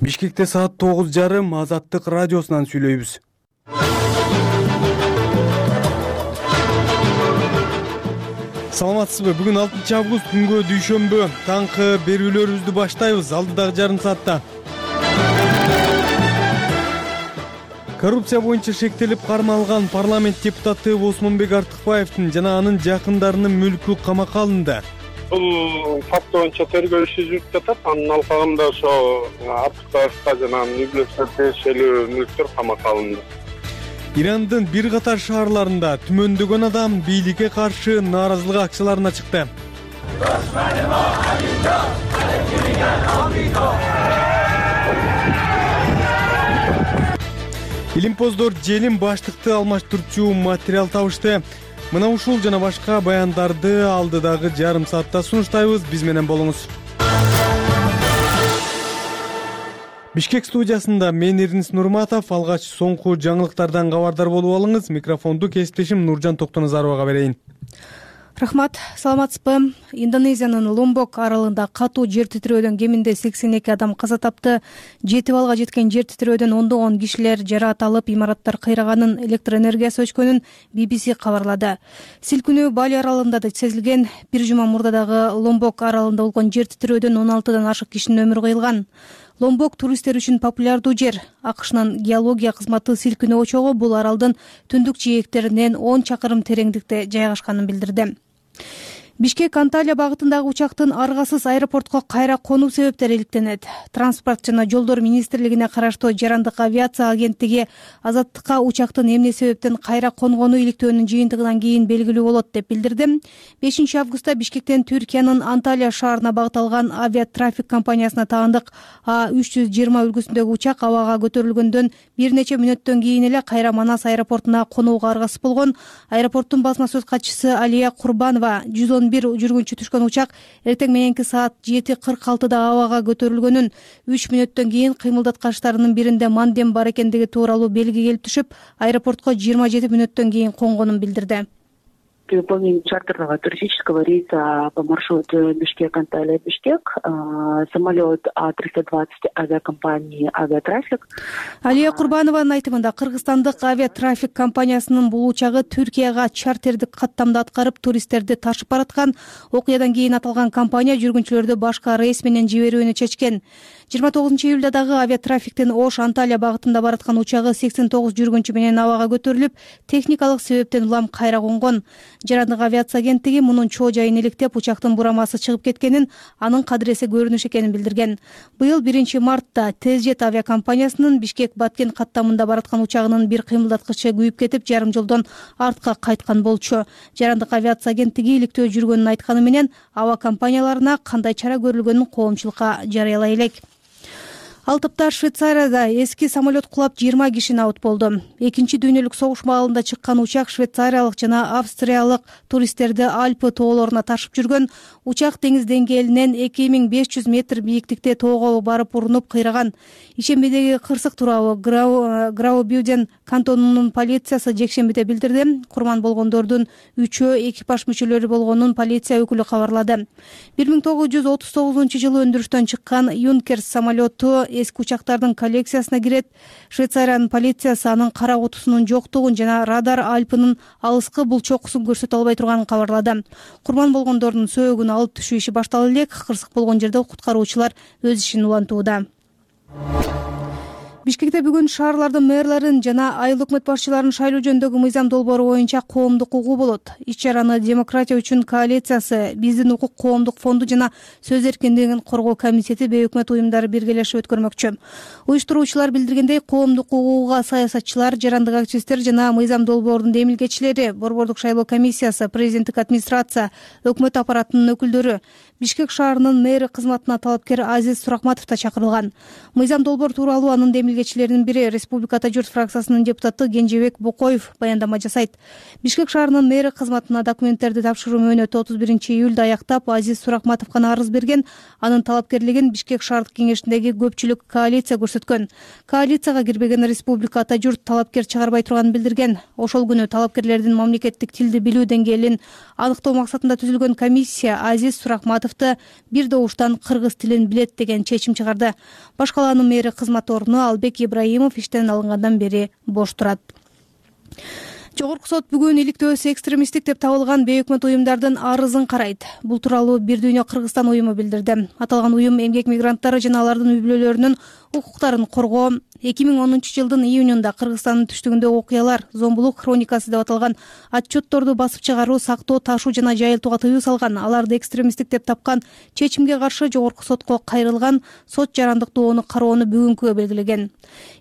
Бишкекте саат 9:30 Азаттык радиосунан сүйлөйбүз. Саламатсызбы? Бүгүн 6 август күнгө дүйшөмбү. Таңкы берүүлөрүбүздү баштайбыз. Алдыдагы жарым саатта коррупция боюнча шектелип кармалган парламент депутаты Осмонбек Артыкбаевдин жана анын жакындарынын мүлкү камакка алынды. Бул факт боюнча тергөө иши жүрүп жатат. Анын алкагында ошо Артыкбаевга жана Нүглөсө тиешелүү мүлктөр камакка алынды. Ирандын бир катар шаарларында түмөндөгөн адам бийликке каршы нааразылык акцияларына чыкты. Илимпоздор желим баштыкты алмаштырчу материал табышты. Мына ушул жана башка баяндарды алдыдагы жарым саатта сунуштайбыз. Биз менен болуңуз. Бишкек студиясында мен Эрнис Нурматов. Алгач соңку жаңылыктардан кабардар болуп алыңыз. Микрофонду кесиптешим Нуржан Токтоназаровага берейин. Рахмат, саламатсызбы? Индонезиянын Ломбок аралында катуу жер титирөөдөн кеминде 82 адам каза тапты. 7 балга жеткен жер титирөөдөн ондогон кишилер жараат алып, имараттар кыйраганын, электр энергиясы өчкөнүн BBC кабарлады. Силкүнүү Бали аралында да сезилген. Бир жума мурда дагы Ломбок аралында болгон жер титирөөдөн 16дан ашык кишинин өмүрү кыйылган. Ломбок туристтер үчүн популярдуу жер. АКШнын геология кызматы силкүнүү очогу бул аралдын түндүк жээктеринен 10 чакырым тереңдикте жайгашканын билдирди. Бишкек Анталия багытындагы учактын аргасыз аэропортко кайра конуу себептери иликтенет. Транспорт жана жолдор министрлигине караштуу Жарандык авиация агенттиги Азаттыкка учактын эмне себептен кайра конгону иликтөөнүн жыйынтыгынан кийин белгилүү болот деп билдирди. 5 августта Бишкектен Түркиянын Анталия шаарына багыт алган авиатрафик компаниясына таандык А320 үлгүсүндөгү учак абага көтөрүлгөндөн бир нече мүнөттөн кийин эле кайра Манас аэропортуна конууга аргасыз болгон. Аэропорттун басма сөз катчысы Алия Курбанова 111 жүргүнчү түшкөн учак эртең мененки саат 7:46 абага көтөрүлгөнүн 3 мүнөттөн кийин кыймылдаткычтарынын биринде мандем бар экендиги тууралуу белги келип түшүп, аэропортко 27 мүнөттөн кийин конгонун билдирди. При выполнении чартерного туристического рейса по маршруту Бишкек-Анталия-Бишкек самолет А320 авиакомпании «Авиатрафик». Алия Курбанованын айтымында Кыргызстандык авиатрафик компаниясынын бул учагы Түркияга чартердик каттамда аткарып, туристтерди ташып бараткан. Окуядан кийин аталган компания жүргүнчүлөрдү башка рейс менен жиберүүнү чечкен. 29 июлда дагы авиатрафиктин Ош-Анталия багытында бараткан учагы 89 жүргүнчү менен абага көтөрүлүп, техникалык себептен улам кайра конгон. Жарандык авиация агенттиги мунун чоо жайын иликтеп, учактын бурамасы чыгып кеткенин, анын кадыресе көрүнүш экенин билдирген. Быйыл 1 мартта Тезжет авиакомпаниясынын Бишкек-Баткен каттамында бараткан учагынын бир кыймылдаткычы күйүп кетип, жарым жолдон артка кайткан болчу. Жарандык авиация агенттиги иликтөө жүргөнүн айтканы менен аба компанияларына кандай чара көрүлгөнүн коомчулукка жарыялай элек. Ал тапта Швейцарияда эски самолет кулап 20 киши абут болду. Экинчи дүйнөлүк согуш маалында чыккан учак швейцариялык жана австриялык туристтерди Альпы тоолоруна ташып жүргөн. Учак деңиз деңгээлинен 2500 метр бийиктикте тоого барып урунуп кыйраган. Ишембидеги кырсык тууралуу Граубюден кантонунун полициясы жекшембиде билдирди. Курман болгондордун 3-өө экипаж мүчөлөрү болгонун полиция өкүлү кабарлады. 1939-жылы өндүрүштөн чыккан Юнкерс самолету эски учактардын коллекциясына кирет. Швейцариянын полициясы анын кара кутусунун жоктугун жана радар Альпынын алыскы булчокусун көрсөтө албай турганын кабарлады. Курман болгондордун сөөгүн алып түшүү иши башталды элек. Кырсык болгон жерде куткаруучулар өз ишин улантууда. Бишкекте бүгүн шаарлардын мэрлерин жана айыл өкмөт башчыларын шайлоо жөнүндөгү мыйзам долбоору боюнча коомдук угуу болот. Иш-чараны Демократия үчүн коалициясы, Биздин укук коомдук фонду жана Сөз эркиндигин коргоо комитети бейөкмөт уюмдары биргелешип өткөрмөкчү. Уюштуруучулар билдиргендей, коомдук угууга саясатчылар, жарандык активисттер жана мыйзам долбоорунун демилгечилери, Борбордук шайлоо комиссиясы, президенттик администрация, өкмөт аппаратынын өкүлдөрү, Бишкек шаарынын мэри кызматына талапкер Азиз Суракматов да чакырылган. Мыйзам долбоор тууралуу анын демилгечилеринин бири Республиката журт фракциясынын депутаты Кенжебек Бокоев баяндама жасайт. Бишкек шаарынын мэри кызматына документтерди тапшыруу мөөнөтү 31 июлда аяктап, Азиз Суракматовго арыз берген. Анын талапкерлигин Бишкек шаардык кеңешиндеги көпчүлүк коалиция көрсөткөн. Коалицияга кирбеген Республика ата журт талапкер чыгарбай турганын билдирген. Ошол күнү талапкерлердин мамлекеттик тилди билүү деңгээлин аныктоо максатында түзүлгөн комиссия Азиз Суракматов Айматовду бир добуштан кыргыз тилин билет деген чечим чыгарды. Баш калаанын мэри кызмат ордуна Албек Ибраимов иштен алынгандан бери бош турат. Жогорку сот бүгүн иликтөөсү экстремисттик деп табылган бейөкмөт уюмдардын арызын карайт. Бул тууралуу Бир дүйнө Кыргызстан уюму билдирди. Аталган уюм эмгек мигранттары жана алардын үй бүлөлөрүнүн укуктарын коргоо 2010-жылдын июнунда Кыргызстандын түштүгүндө окуялар, зомбулук хроникасы деп аталган отчетторду басып чыгаруу, сактоо, ташуу жана жайылтууга тыюу салган. Аларды экстремисттик деп тапкан чечимге каршы жогорку сотко кайрылган. Сот жарандыктуу оны кароону бүгүнкүгө белгилеген.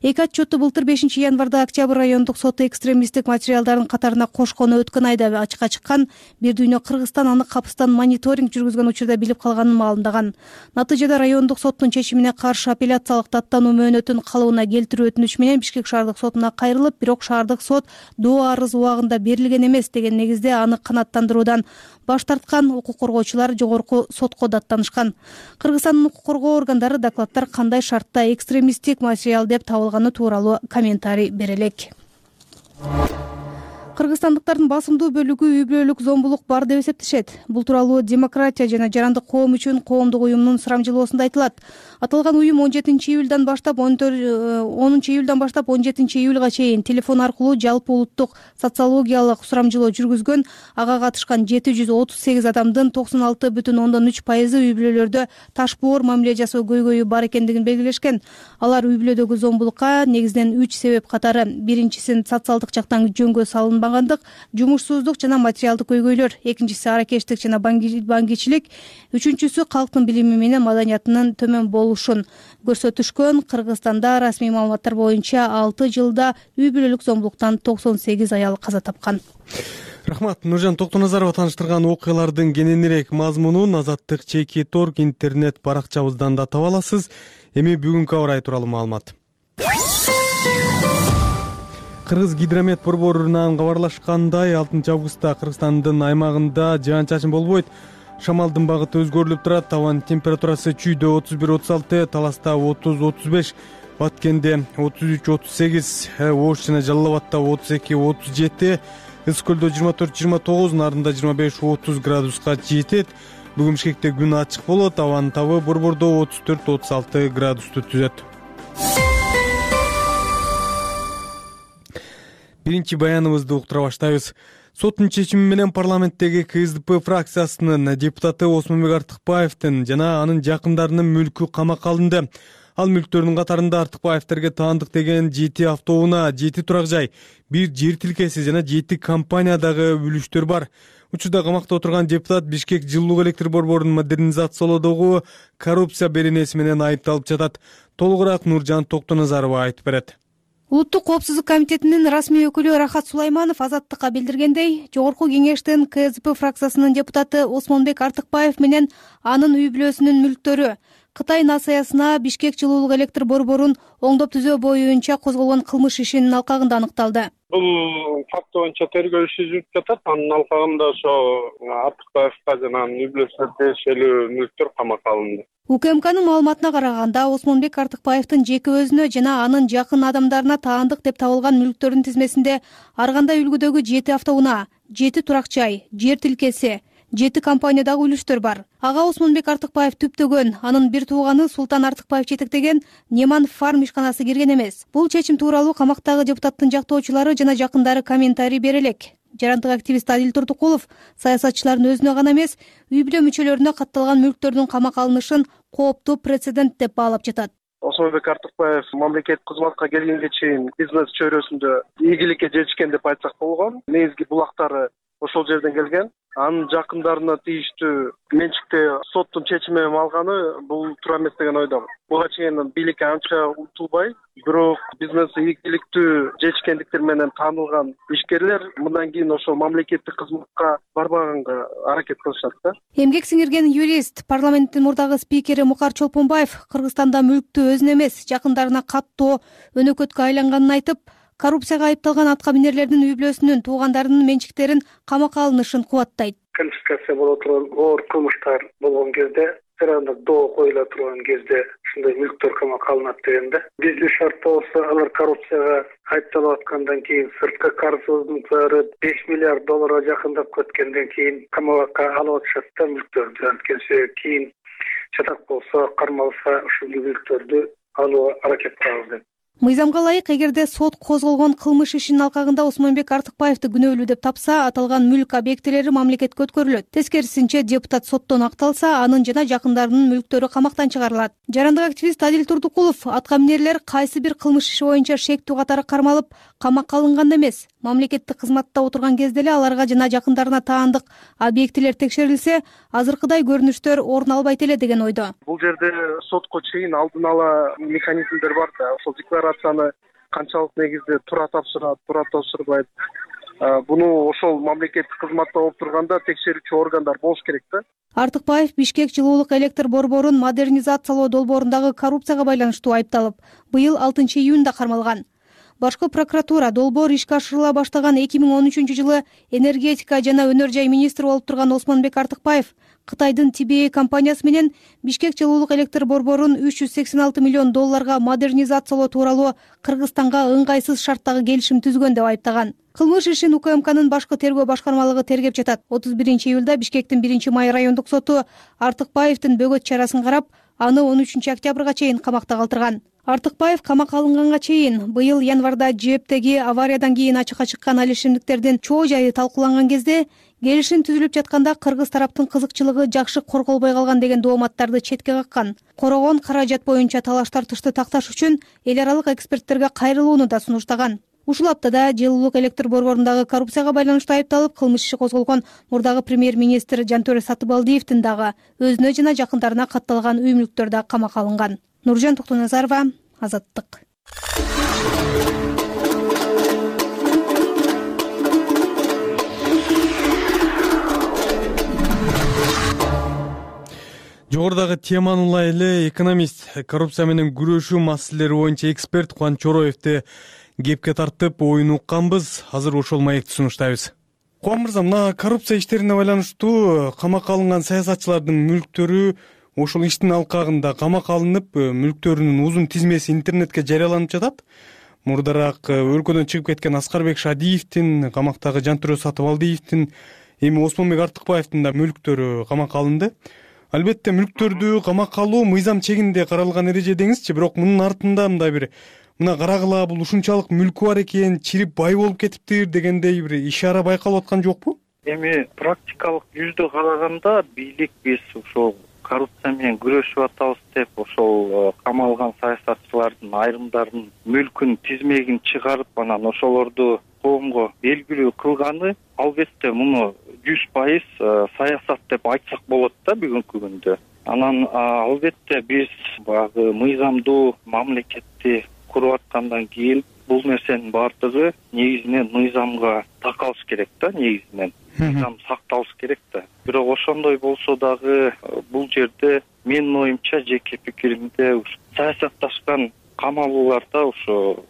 Эки отчетту былтыр 5-январда Октябрь райондук соты экстремисттик материалдардын катарына кошкону өткөн айда ачыкка чыккан. Бир дүйнө Кыргызстан аны капыстан мониторинг жүргүзгөн учурда билип калганын маалымдаган. Натыйжада райондук соттун чечимине каршы апелляциялык даттануу мөөнөтүн калыбына келтирүү өтүнүч менен Бишкек шаардык сотуна кайрылып, бирок шаардык сот доо арыз убагында берилген эмес деген негизде аны канааттандыруудан баш тарткан. Укук коргоочулар жогорку сотко даттанышкан. Кыргызстандын укук коргоо органдары докладтар кандай шартта экстремисттик материал деп табылганы тууралуу комментарий бере элек. Кыргызстандыктардын басымдуу бөлүгү үй бүлөлүк зомбулук бар деп эсептешет. Бул тууралуу Демократия жана жарандык коом үчүн коомдук уюмдун сурамжылоосунда айтылат. Аталган уюм 10-июлдан баштап 17-июлга чейин телефон аркылуу жалпы улуттук социологиялык сурамжылоо жүргүзгөн. Ага катышкан 738 адамдын 96,3% үй бүлөлөрдө ташбоор мамиле жасоо көйгөйү бар экендигин белгилешкен. Алар үй бүлөдөгү зомбулукка негизинен 3 себеп катары. Биринчиси социалдык жактан жөнгө салынбагандык, жумушсуздук жана материалдык көйгөйлөр. Экинчиси аракештик жана баңгичилик. Үчүнчүсү калктын билими менен маданиятынын төмөн болушун көрсөтүшкөн. Кыргызстанда расмий маалыматтар боюнча 6 жылда үй бүлөлүк зомбулуктан 98 аял каза тапкан. Рахмат. Нуржан Токтоназарова тааныштырган окуялардын кененирээк мазмунун Азаттык ЧК.орг интернет баракчабыздан да таба аласыз. Эми бүгүнкү аба ырайы тууралуу маалымат. Кыргыз гидромет борборунан кабарлашкандай 6 августта Кыргызстандын аймагында жаан-чачын болбойт. Шамалдын багыты өзгөрүлүп турат. Табан температурасы Чүйдө 31-36, Таласта 30-35, Баткенде 33-38, Ош жана Жалал Абадта 32-37, Ысык көлдө 24-29, Нарында 25-30 градуска жетет. Бүгүн Бишкекте күн ачык болот. Абанын табы борбордо 34-36 градусту түзөт. Биринчи баяныбызды уктура баштайбыз. Соттун чечими менен парламенттеги КСДП фракциясынын депутаты Осмонбек Артыкбаевдин жана анын жакындарынын мүлкү камакка алынды. Ал мүлктөрдүн катарында Артыкбаевтерге таандык деген 7 автоунаа, 7 турак жай, 1 жер тилкеси жана 7 компаниядагы үлүштөр бар. Учурда камакта отурган депутат Бишкек жылуулук электр борборун модернизациялоодогу коррупция беренеси менен айыпталып жатат. Толугураак Нуржан Токтоназарова айтып берет. Улуттук коопсуздук комитетинин расмий өкүлү Рахат Сулайманов Азаттыкка билдиргендей, жогорку кеңештин КСДП фракциясынын депутаты Осмонбек Артыкбаев менен анын үй бүлөсүнүн мүлктөрү Кытай НАСАясына Бишкек жылуулук электр борборун оңдоп түзөө боюнча козголгон кылмыш ишинин алкагында аныкталды. Бул факт боюнча тергөө иши жүрүп жатат. Анын алкагында ошо Артыкбаевга жана анын үй бүлөсүнө тиешелүү мүлктөр камакка алынды. УКМКнын маалыматына караганда, Осмонбек Артыкбаевдин жеке өзүнө жана анын жакын адамдарына таандык деп табылган мүлктөрдүн тизмесинде ар кандай үлгүдөгү 7 автоунаа, 7 турак жай, жер тилкеси, 7 компаниядагы үлүштөр бар. Ага Осмонбек Артыкбаев түптөгөн, анын бир тууганы Султан Артыкбаев жетектеген Неман фарм ишканасы кирген эмес. Бул чечим тууралуу камактагы депутаттын жактоочулары жана жакындары комментарий бере элек. Жарандык активист Адил Турдукулов саясатчылардын өзүнө гана эмес, үй бүлө мүчөлөрүнө катталган мүлктөрдүн камакка алынышын кооптуу прецедент деп баалап жатат. Осмонбек Артыкбаев мамлекеттик кызматка келгенге чейин бизнес чөйрөсүндө ийгиликке жетишкен деп айтсак болгон. Негизги булактары ошол жерден келген. Анын жакындарына тийиштүү менчикти соттун чечими менен алганы бул туура эмес деген ойдомун. Буга чейин бийликке анча утулбай, бирок бизнеси ийгиликтүү жетишкендиктер менен таанылган ишкерлер мындан кийин ошол мамлекеттик кызматка барбаганга аракет кылышат да. Эмгек сиңирген юрист, парламенттин мурдагы спикери Мукар Чолпонбаев Кыргызстанда мүлктү өзүнө эмес, жакындарына каттоо өнөкөткө айланганын айтып, коррупцияга айыпталган атка минерлердин үй бүлөсүнүн туугандарынын менчиктерин камакка алынышын кубаттайт. Конфискация боло турган оор кылмыштар болгон кезде, жарандык доо коюла турган кезде ушундай мүлктөр камакка алынат дегенде. Бизнес шартта болсо алар коррупцияга айыпталып аткандан кийин сырткы карыздын микдары $5 миллиард жакындап кеткенден кийин камакка алып атышат да мүлктөрдү. Анткени кийин чатак болсо, кармалса ушул мүлктөрдү алууга аракет кылабыз деп. Мыйзамга ылайык, эгерде сот козголгон кылмыш ишинин алкагында Осмонбек Артыкбаевди күнөөлүү деп тапса, аталган мүлк объектилери мамлекетке өткөрүлөт. Тескерисинче, депутат соттон акталса, анын жана жакындарынын мүлктөрү камактан чыгарылат. Жарандык активист Адил Турдукулов атка минерлер кайсы бир кылмыш иши боюнча шектүү катары кармалып, камакка алынган эмес. Мамлекеттик кызматта отурган кезде эле аларга жана жакындарына таандык объектилер текшерилсе, азыркыдай көрүнүштөр орун албайт эле деген ойдо. Бул жерде сотко чейин алдын ала механизмдер бар да, ошол декларацияны канчалык негизде туура тапшырат, туура тапшырбайт. Буну ошол мамлекеттик кызматта болуп турганда текшерүүчү органдар болуш керек да. Артыкбаев Бишкек жылуулук электр борборун модернизациялоо долбоорундагы коррупцияга байланыштуу айыпталып, быйыл 6 июнда кармалган. Башкы прокуратура долбоор ишке ашырыла баштаган 2013-жылы энергетика жана өнөр жай министри болуп турган Осмонбек Артыкбаев Кытайдын TBA компаниясы менен Бишкек жылуулук электр борборун $386 миллион модернизациялоо тууралуу Кыргызстанга ыңгайсыз шарттагы келишим түзгөн деп айыптаган. Кылмыш ишин УКМКнын башкы тергөө башкармалыгы тергеп жатат. 31-июлда Бишкектин 1-Май райондук соту Артыкбаевдин бөгөт чарасын карап, аны 13-октябрга чейин камакта калтырган. Артыкбаев камакка алынганга чейин быйыл январда ЖЭПтеги авариядан кийин ачыкка чыккан ал ишимдиктердин чоо жайы талкууланган кезде келишим түзүлүп жатканда кыргыз тараптын кызыкчылыгы жакшы корголбой калган деген дооматтарды четке каккан. Корогон каражат боюнча талаш тартышты такташ үчүн эл аралык эксперттерге кайрылууну да сунуштаган. Ушул аптада жылуулук электр борборундагы коррупцияга байланыштуу айыпталып, кылмыш иши козголгон мурдагы премьер-министр Жантөре Сатыбалдиевдин дагы өзүнө жана жакындарына катталган үй мүлктөр да камакка алынган. Нуржан Токтоназарова, Азаттык. Жогорудагы теманы улай эле экономист, коррупция менен күрөшүү маселелери боюнча эксперт Кубан Чороевди кепке тартып оюн укканбыз. Азыр ошол маекти сунуштайбыз. Кубан мырза, мына коррупция иштерине байланыштуу камакка алынган саясатчылардын мүлктөрү ошол иштин алкагында камакка алынып, мүлктөрүнүн узун тизмеси интернетке жарыяланып жатат. Мурдараак өлкөдөн чыгып кеткен Аскарбек Шадиевдин, камактагы Жантөре Сатыбалдиевдин, эми Осмонбек Артыкбаевдин да мүлктөрү камакка алынды. Албетте мүлктөрдү камакка алуу мыйзам чегинде каралган эреже деңизчи, бирок мунун артында мындай бир мына карагыла бул ушунчалык мүлкү бар экен, чирип бай болуп кетиптир дегендей бир ишара байкалып аткан жокпу? Эми практикалык жүздө караганда бийлик биз ошол коррупция менен күрөшүп атабыз деп ошол камалган саясатчылардын айрымдарынын мүлкүн тизмегин чыгарып, анан ошолорду коомго белгилүү кылганы албетте муну 100% саясат деп айтсак болот да бүгүнкү күндө. Анан албетте биз баягы мыйзамдуу мамлекетти куруп аткандан кийин бул нерсенин баардыгы негизинен мыйзамга такалыш керек да, негизинен мыйзам сакталыш керек да. Бирок ошондой болсо дагы бул жерде менин оюмча жеке пикиримде саясатташкан камалууларда ошо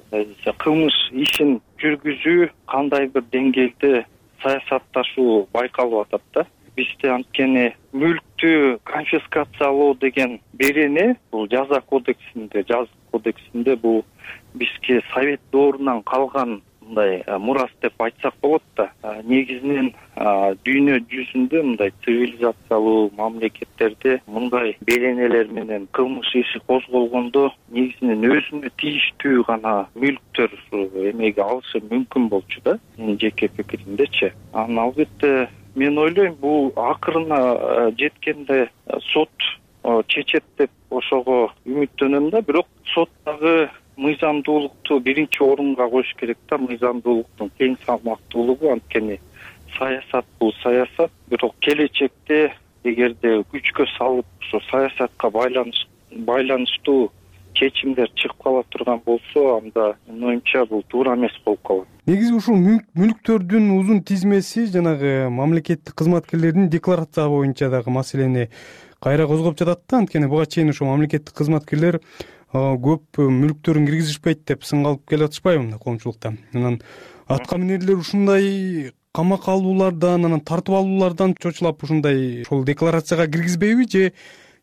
кылмыш ишин жүргүзүү кандай бир деңгээлде саясатташуу байкалып атат да. Бизде анткени мүлктү конфискациялоо деген берене бул жаза кодексинде бул бизге совет доорунан калган мындай мурас деп айтсак болот да. Негизинен дүйнө жүзүндө мындай цивилизациялуу мамлекеттерде мындай беренелер менен кылмыш иши козголгондо негизинен өзүнө тийиштүү гана мүлктөр эмеге алышы мүмкүн болчу да. Менин жеке пикиримдечи. Анан албетте мен ойлойм бул акырына жеткенде сот чечет деп ошого үмүттөнөм да, бирок сот дагы мыйзамдуулукту биринчи орунга коюш керек да, мыйзамдуулуктун тең салмактуулугу. Анткени саясат бул саясат, бирок келечекте эгерде күчкө салып ошо саясатка байланыштуу чечимдер чыгып кала турган болсо, анда менин оюмча бул туура эмес болуп калат. Негизи ушул мүлктөрдүн узун тизмеси жанагы мамлекеттик кызматкерлердин декларация боюнча дагы маселени кайра козгоп жатат да. Анткени буга чейин ошо мамлекеттик кызматкерлер көп мүлктөрүн киргизишпейт деп сынгалып келе атышпайбы мына коомчулукта. Анан атка минерлер ушундай камакка алуулардан, анан тартып алуулардан чочулап ушундай ошол декларацияга киргизбейби, же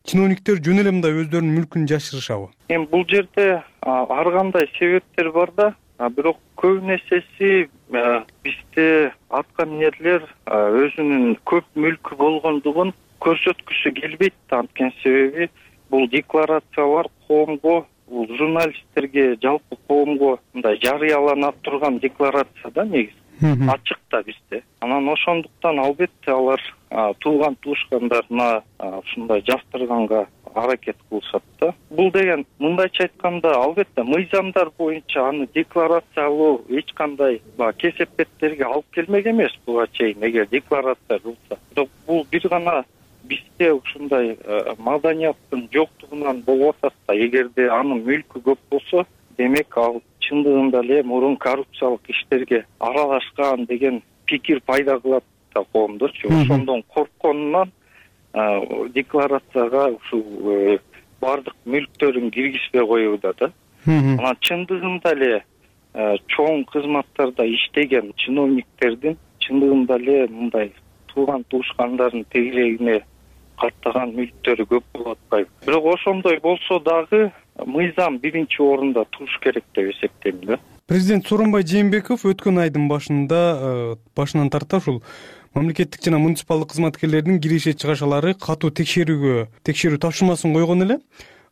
чиновниктер жөн эле мындай өздөрүнүн мүлкүн жашырышабы? Эми бул жерде ар кандай себептер бар да, бирок көп нерсеси бизде атка минерлер өзүнүн көп мүлкү болгондугун көрсөткүсү келбейт да. Анткени себеби бул декларациялар коомго, бул журналисттерге, жалпы коомго мындай жарыяланат турган декларация да, негизи ачык да бизде. Анан ошондуктан албетте алар тууган туушкандарына ушундай жаштырганга аракет кылышат да. Бул деген мындайча айтканда албетте мыйзамдар боюнча аны декларациялоо эч кандай кесепеттерге алып келмек эмес буга чейин, эгер декларация кылса. Бирок бул бир гана бизде ушундай маданияттын жоктугунан болуп атат да. Эгерде анын мүлкү көп болсо, демек ал чындыгында эле мурун коррупциялык иштерге аралашкан деген пикир пайда кылат да коомдочу. Ошондон коркконунан декларацияга ушул бардык мүлктөрүн киргизбей коюуда да. Анан чындыгында эле чоң кызматтарда иштеген чиновниктердин чындыгында эле мындай тууган туушкандардын тегерегине каттаган мүлктөрү көп болуп атпайбы. Бирок ошондой болсо дагы мыйзам биринчи орунда туруш керек деп эсептейм да. Президент Сооронбай Жээнбеков өткөн айдын башынан тарта ушул мамлекеттик жана муниципалдык кызматкерлердин киреше чыгашалары катуу текшерүү тапшырмасын койгон эле.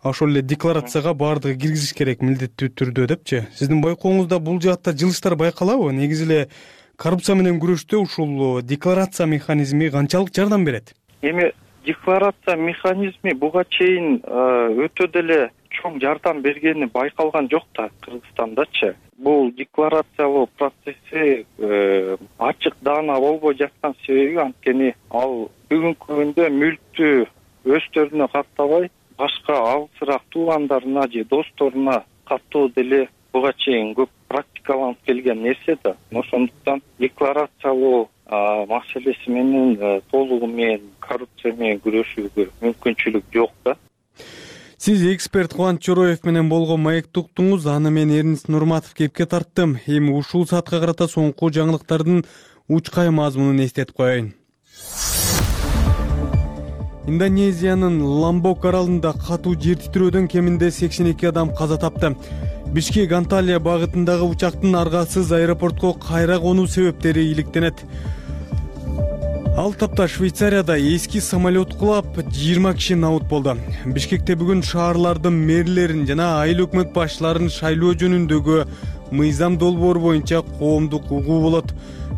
Ошол эле декларацияга баардыгы киргизиш керек милдеттүү түрдө депчи. Сиздин байкооңузда бул жаатта жылыштар байкалабы? Негизи эле коррупция менен күрөштө ушул декларация механизми канчалык жардам берет? Эми декларация механизми буга чейин өтө деле чоң жардам бергени байкалган жок да Кыргызстандачы. Бул декларациялоо процесси ачык даана болбой жаткан себеби анткени ал бүгүнкү күндө мүлктү өздөрүнө каттабай башка алысыраак туугандарына же досторуна каттоо деле буга чейин көп практикаланып келген нерсе да. Ошондуктан декларациялоо маселеси менен толугу менен коррупция менен күрөшүүгө мүмкүнчүлүк жок да. Сиз эксперт Кубанч Чороев менен болгон маекти уктуңуз. Аны мен Эрнис Нурматов кепке тарттым. Эми ушул саатка карата соңку жаңылыктардын учкай мазмунун эстетип коеюн. Индонезиянын Ламбок аралында катуу жер титирөөдөн кеминде 82 адам каза тапты. Бишкек Анталия багытындагы учактын аргасыз аэропортко кайра конуу себептери иликтенет. Ал тапта Швейцарияда эски самолет кулап 20 киши набут болду. Бишкекте бүгүн шаарлардын мэрлерин жана айыл өкмөт башчыларын шайлоо жөнүндөгү мыйзам долбоор боюнча коомдук угуу болот.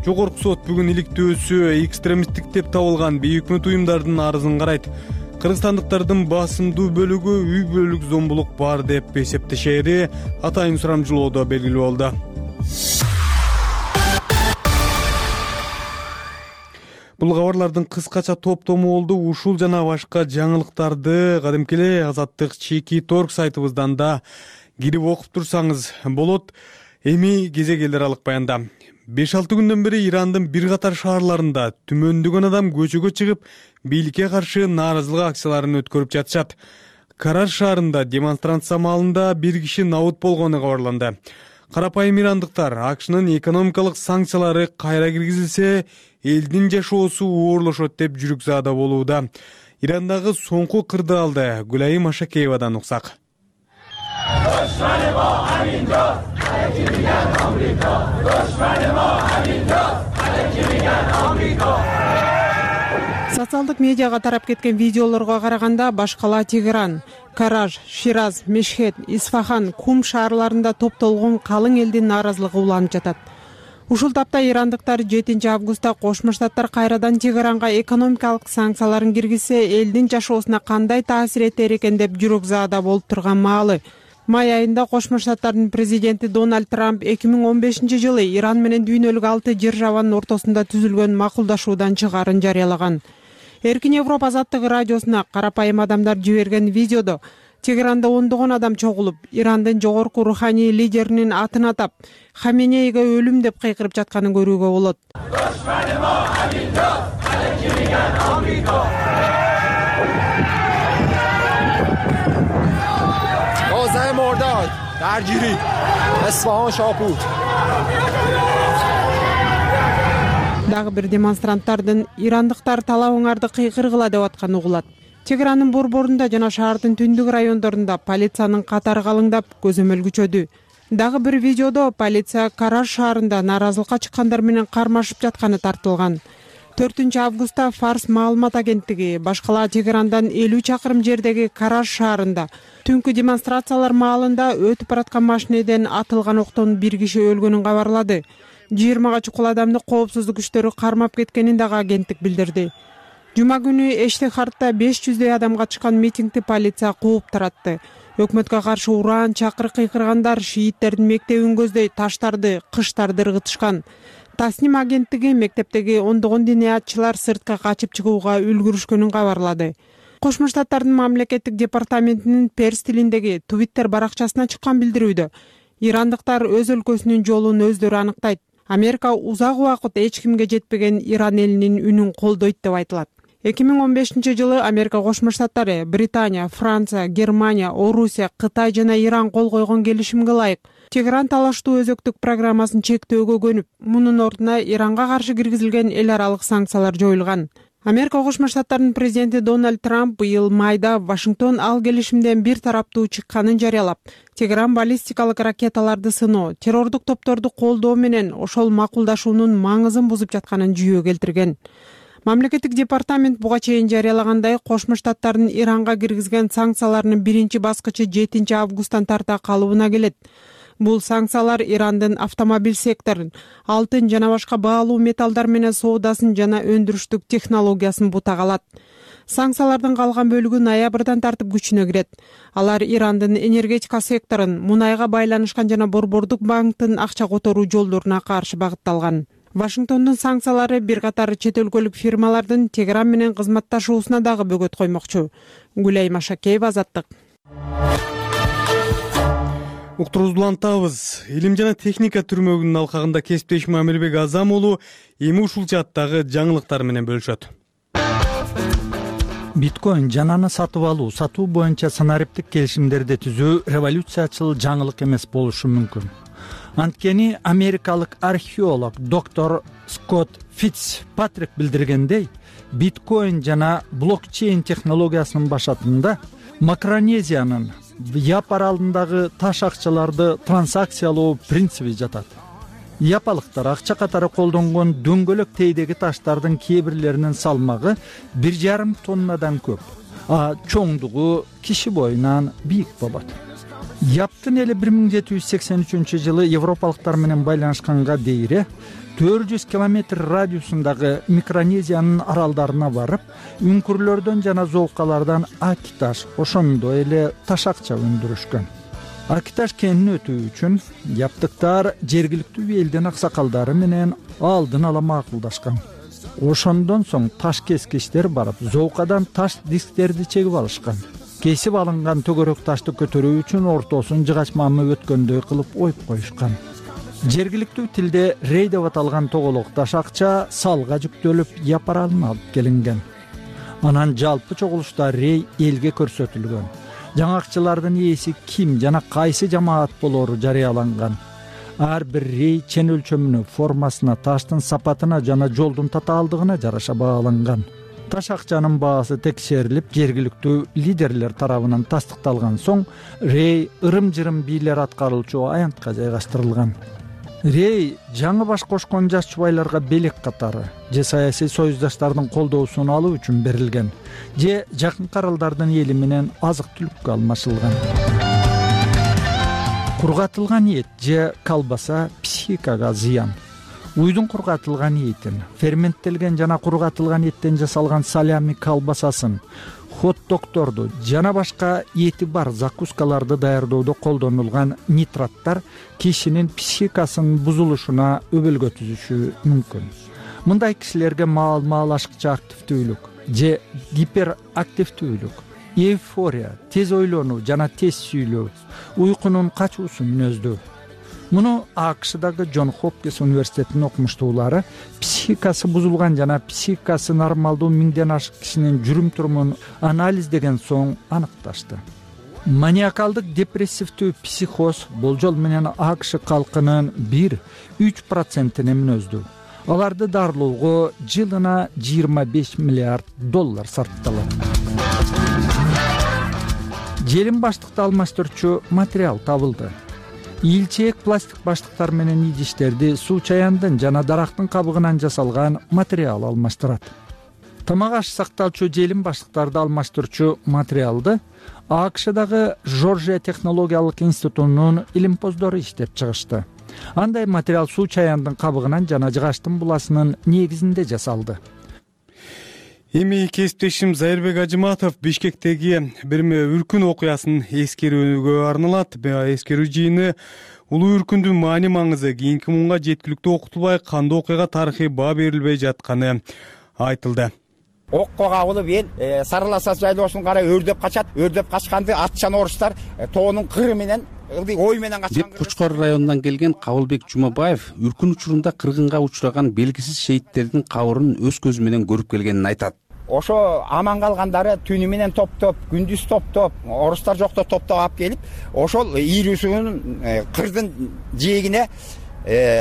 Жогорку сот бүгүн иликтөөсү экстремисттик деп табылган бейөкмөт уюмдардын арызын карайт. Кыргызстандыктардын басымдуу бөлүгү үй бүлөлүк зомбулук бар деп эсептешери атайын сурамжылоодо белгилүү болду. Бул кабарлардын кыскача топтому болду. Ушул жана башка жаңылыктарды кадимки эле Азаттык Чеки Торг сайтыбыздан да кирип окуп турсаңыз болот. Эми кезек эл аралык баянда. 5-6 күндөн бери Ирандын бир катар шаарларында түмөндөгөн адам көчөгө чыгып, бийликке каршы нааразылык акцияларын өткөрүп жатышат. Караш шаарында демонстрация маалында бир киши набут болгону кабарланды. Карапайым ирандыктар АКШнын экономикалык санкциялары кайра киргизилсе, элдин жашоосу оорлошот деп жүрүкзаада болууда. Ирандагы соңку кырдаалды Гүлайым Ашакеевадан уксак. Социалдык медиага тарап кеткен видеолорго караганда башкала Тегеран, Караж, Шираз, Мешхед, Исфахан, Кум шаарларында топтолгон калың элдин нааразылыгы уланып жатат. Ушул тапта ирандыктар 7 августта Кошмо Штаттар кайрадан Тегеранга экономикалык санкцияларын киргизсе, элдин жашоосуна кандай таасир этер экен деп жүрөкзаада болуп турган маалы. Май айында Кошмо Штаттардын президенти Дональд Трамп 2015-жылы Иран менен дүйнөлүк 6 державанын ортосунда түзүлгөн макулдашуудан чыгаарын жарыялаган. Эркин Европа азаттыгы радиосуна карапайым адамдар жиберген видеодо Тегеранда ондогон адам чогулуп, Ирандын жогорку руханий лидеринин атын атап, Хаменейге өлүм деп кыйкырып жатканын көрүүгө болот. Дагы бир демонстранттардын ирандыктар талабыңарды кыйкыргыла деп атканы угулат. Тегерандын борборунда жана шаардын түндүк райондорунда полициянын катары калыңдап көзөмөл күчөдү. Дагы бир видеодо полиция Караж шаарында нааразылыкка чыккандар менен кармашып жатканы тартылган. 4-августта Фарс маалымат агенттиги башкала Тегерандан 50 чакырым жердеги Караж шаарында түнкү демонстрациялар маалында өтүп бараткан машинеден атылган октон бир киши өлгөнүн кабарлады. 20 чукул адамды коопсуздук күчтөрү кармап кеткенин дагы агенттик билдирди. Жума күнү Эштехардта 500 адамга чыккан митингди полиция кууп таратты. Өкмөткө каршы уран, чакырык кыйкыргандар шииттердин мектебин көздөй таштарды, кыштарды ыргытышкан. Тасним агенттиги мектептеги ондогон диниятчылар сыртка качып чыгууга үлгүрүшкөнүн кабарлады. Кошмо Штаттардын мамлекеттик департаментинин перс тилиндеги Twitter баракчасына чыккан билдирүүдө ирандыктар өз өлкөсүнүн жолун өздөрү аныктайт. Америка узак убакыт эч кимге жетпеген Иран элинин үнүн колдойт деп айтылат. 2015-жылы Америка Кошмо Штаттары, Британия, Франция, Германия, Орусия, Кытай жана Иран кол койгон келишимге ылайык Тегеран талаштуу өзөктүк программасын чектөөгө көнүп, мунун ордуна Иранга каршы киргизилген эл аралык санкциялар жоюлган. Америка Кошмо Штаттарынын президенти Дональд Трамп быйыл майда Вашингтон ал келишимден бир тараптуу чыкканын жарыялап, Тегеран баллистикалык ракеталарды сыноо, террордук топторду колдоо менен ошол макулдашуунун маңызын бузуп жатканын жүйө келтирген. Мамлекеттик департамент буга чейин жарыялагандай, Кошмо Штаттардын Иранга киргизген санкцияларынын биринчи баскычы 7 августтан тарта калыбына келет. Бул санкциялар Ирандын автомобиль секторун, алтын жана башка баалуу металлдар менен соодасын жана өндүрүштүк технологиясын бутак алат. Санкциялардын калган бөлүгү ноябрдан тартып күчүнө кирет. Алар Ирандын энергетика секторун, мунайга байланышкан жана борбордук банктын акча которуу жолдоруна каршы багытталган. Вашингтондун санкциялары бир катар чет өлкөлүк фирмалардын Тегеран менен кызматташуусуна дагы бөгөт коймокчу. Гүлай Машакеева, Азаттык. Уктуруубузду улантабыз. Илим жана техника түрмөгүнүн алкагында кесиптешим Амирбек Азам уулу эми ушул жааттагы жаңылыктар менен бөлүшөт. Биткоин жананы сатып алуу, сатуу боюнча санариптик келишимдерди түзүү революциячыл жаңылык эмес болушу мүмкүн. Анткени америкалык археолог доктор Скотт Фитцпатрик билдиргендей, биткоин жана блокчейн технологиясынын башатында Макронезиянын Яп аралындагы таш акчаларды трансакциялоо принциби жатат. Япалыктар акча катары колдонгон дөңгөлөк тейдеги таштардын кээ бирлеринин салмагы 1,5 тоннадан көп, а чоңдугу киши боюнан бийик болот. Яптын эли 1783-жылы европалыктар менен байланышканга дейре 400 километр радиусундагы Микронезиянын аралдарына барып, үңкүрлөрдөн жана золкалардан акиташ, ошондой эле таш акча өндүрүшкөн. Акиташ кенин өтүү үчүн яптыктар жергиликтүү элдин аксакалдары менен алдын ала макулдашкан. Ошондон соң таш кескичтер барып, золкадан таш дисктерди чегип алышкан. Кесип алынган төгөрөк ташты көтөрүү үчүн ортосун жыгач мамы өткөндөй кылып оюп коюшкан. Жергиликтүү тилде рей деп аталган тоголок таш акча салга жүктөлүп Яп аралына алып келинген. Анан жалпы чогулушта рей элге көрсөтүлгөн. Жаңакчылардын ээси ким жана кайсы жамаат болору жарыяланган. Ар бир рей чен өлчөмүнө, формасына, таштын сапатына жана жолдун татаалдыгына жараша бааланган. Таш акчанын баасы текшерилип, жергиликтүү лидерлер тарабынан тастыкталган соң, рей ырым-жырым бийлер аткаруучу аянтка жайгаштырылган. Рей жаңы баш кошкон жаш чубайларга белек катары же саясий союздаштардын колдоосун алуу үчүн берилген, же жакынкы аралдардын эли менен азык-түлүккө алмашылган. Кургатылган эт же колбаса психикага зыян. Уйдун кургатылган этин, ферменттелген жана кургатылган эттен жасалган салями колбасасын, хот-догторду жана башка эти бар закускаларды даярдоодо колдонулган нитраттар кишинин психикасынын бузулушуна өбөлгө түзүшү мүмкүн. Мындай кишилерге маал-маал ашыкча активдүүлүк же гиперактивдүүлүк, эйфория, тез ойлонуу жана тез сүйлөө, уйкунун качуусу мүнөздүү. Муну АКШдагы Джон Хопкинс университетинин окумуштуулары психикасы бузулган жана психикасы нормалдуу 1000ден ашык кишинин жүрүм-турумун анализдеген соң аныкташты. Маниакалдык депрессивдүү психоз болжол менен АКШ калкынын 1-3%-ине мүнөздүү. Аларды дарылоого жылына $25 миллиард сарпталат. желим баштыкты алмаштырчу материал табылды. Ийилчээк пластик баштыктар менен идиштерди суу чаяндын жана дарактын кабыгынан жасалган материал алмаштырат. Тамак аш сакталчу желим баштыктарды алмаштырчу материалды АКШдагы Жоржия технологиялык институтунун илимпоздору иштеп чыгышты. Андай материал суу чаяндын кабыгынан жана жыгачтын буласынын негизинде жасалды. Эми кесиптешим Зайырбек Ажыматов Бишкектеги бир үркүн окуясын эскерүүгө арналат. Эскерүү жыйыны улуу үркүндүн маани маңызы кийинки муунга жеткиликтүү окутулбай кандуу окуяга тарыхый баа берилбей жатканы айтылды. Окко кабылып эл Сарыласа жайлоосун карай өрдөп качат. Өрдөп качканды атчан орустар тоонун кыры менен ой менен качкан. Деп Кучкор районунан келген Кабылбек Жумабаев үркүн учурунда кыргынга учураган белгисиз шейттердин кабырын өз көзү менен көрүп келгенин айтат. Ошо аман калгандары түнү менен топтоп, күндүз топтоп, орустар жокто топтоп алып келип, ошол ийрүүсүнүн кырдын жээгине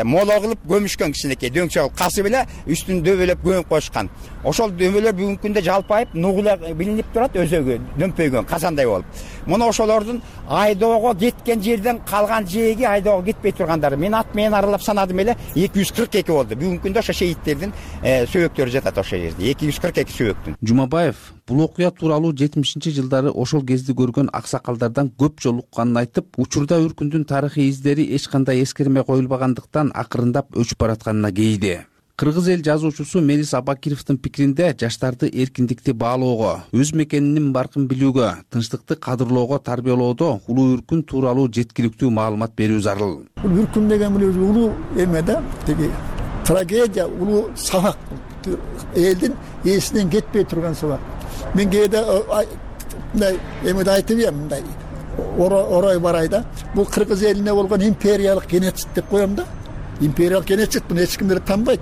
моло кылып көмүшкөн кичинекей дөңчө касы беле үстүн дөбөлөп көмүп коюшкан. Ошол дөбөлөр бүгүнкү күндө жалпайып нугула билинип турат, өзөгө дөмпөйгөн казандай болуп. Муну ошолордун айдоого кеткен жерден калган жээги айдоого кетпей тургандары. Мен ат менен аралап санадым эле 242 болду. Бүгүнкү күндө ошо шейттердин сөбөктөрү жатат ошол жерде. 242 сөбөктүн. Жумабаев бул окуя тууралуу 70-жылдары ошол кезде көргөн аксакалдардан көп жолу укканын айтып, учурда үркүндүн тарыхый издери эч кандай эскерме коюлбагандыктан акырындап өчүп баратканына кейиди. Кыргыз эл жазуучусу Мелис Абакировдун пикиринде жаштарды эркиндикти баалоого, өз мекенинин баркын билүүгө, тынчтыкты кадырлоого тарбиялоодо улуу үркүн тууралуу жеткиликтүү маалымат берүү зарыл. Бул үркүн деген улуу эме да, тиги трагедия, улуу сабак, элдин эсинен кетпей турган сабак. Мен кээде мындай эмеде айтып эм, мындай орой барай да. Бул кыргыз элине болгон империялык геноцид деп коем да. Империялык геноцид буну эч кимдер танбайт.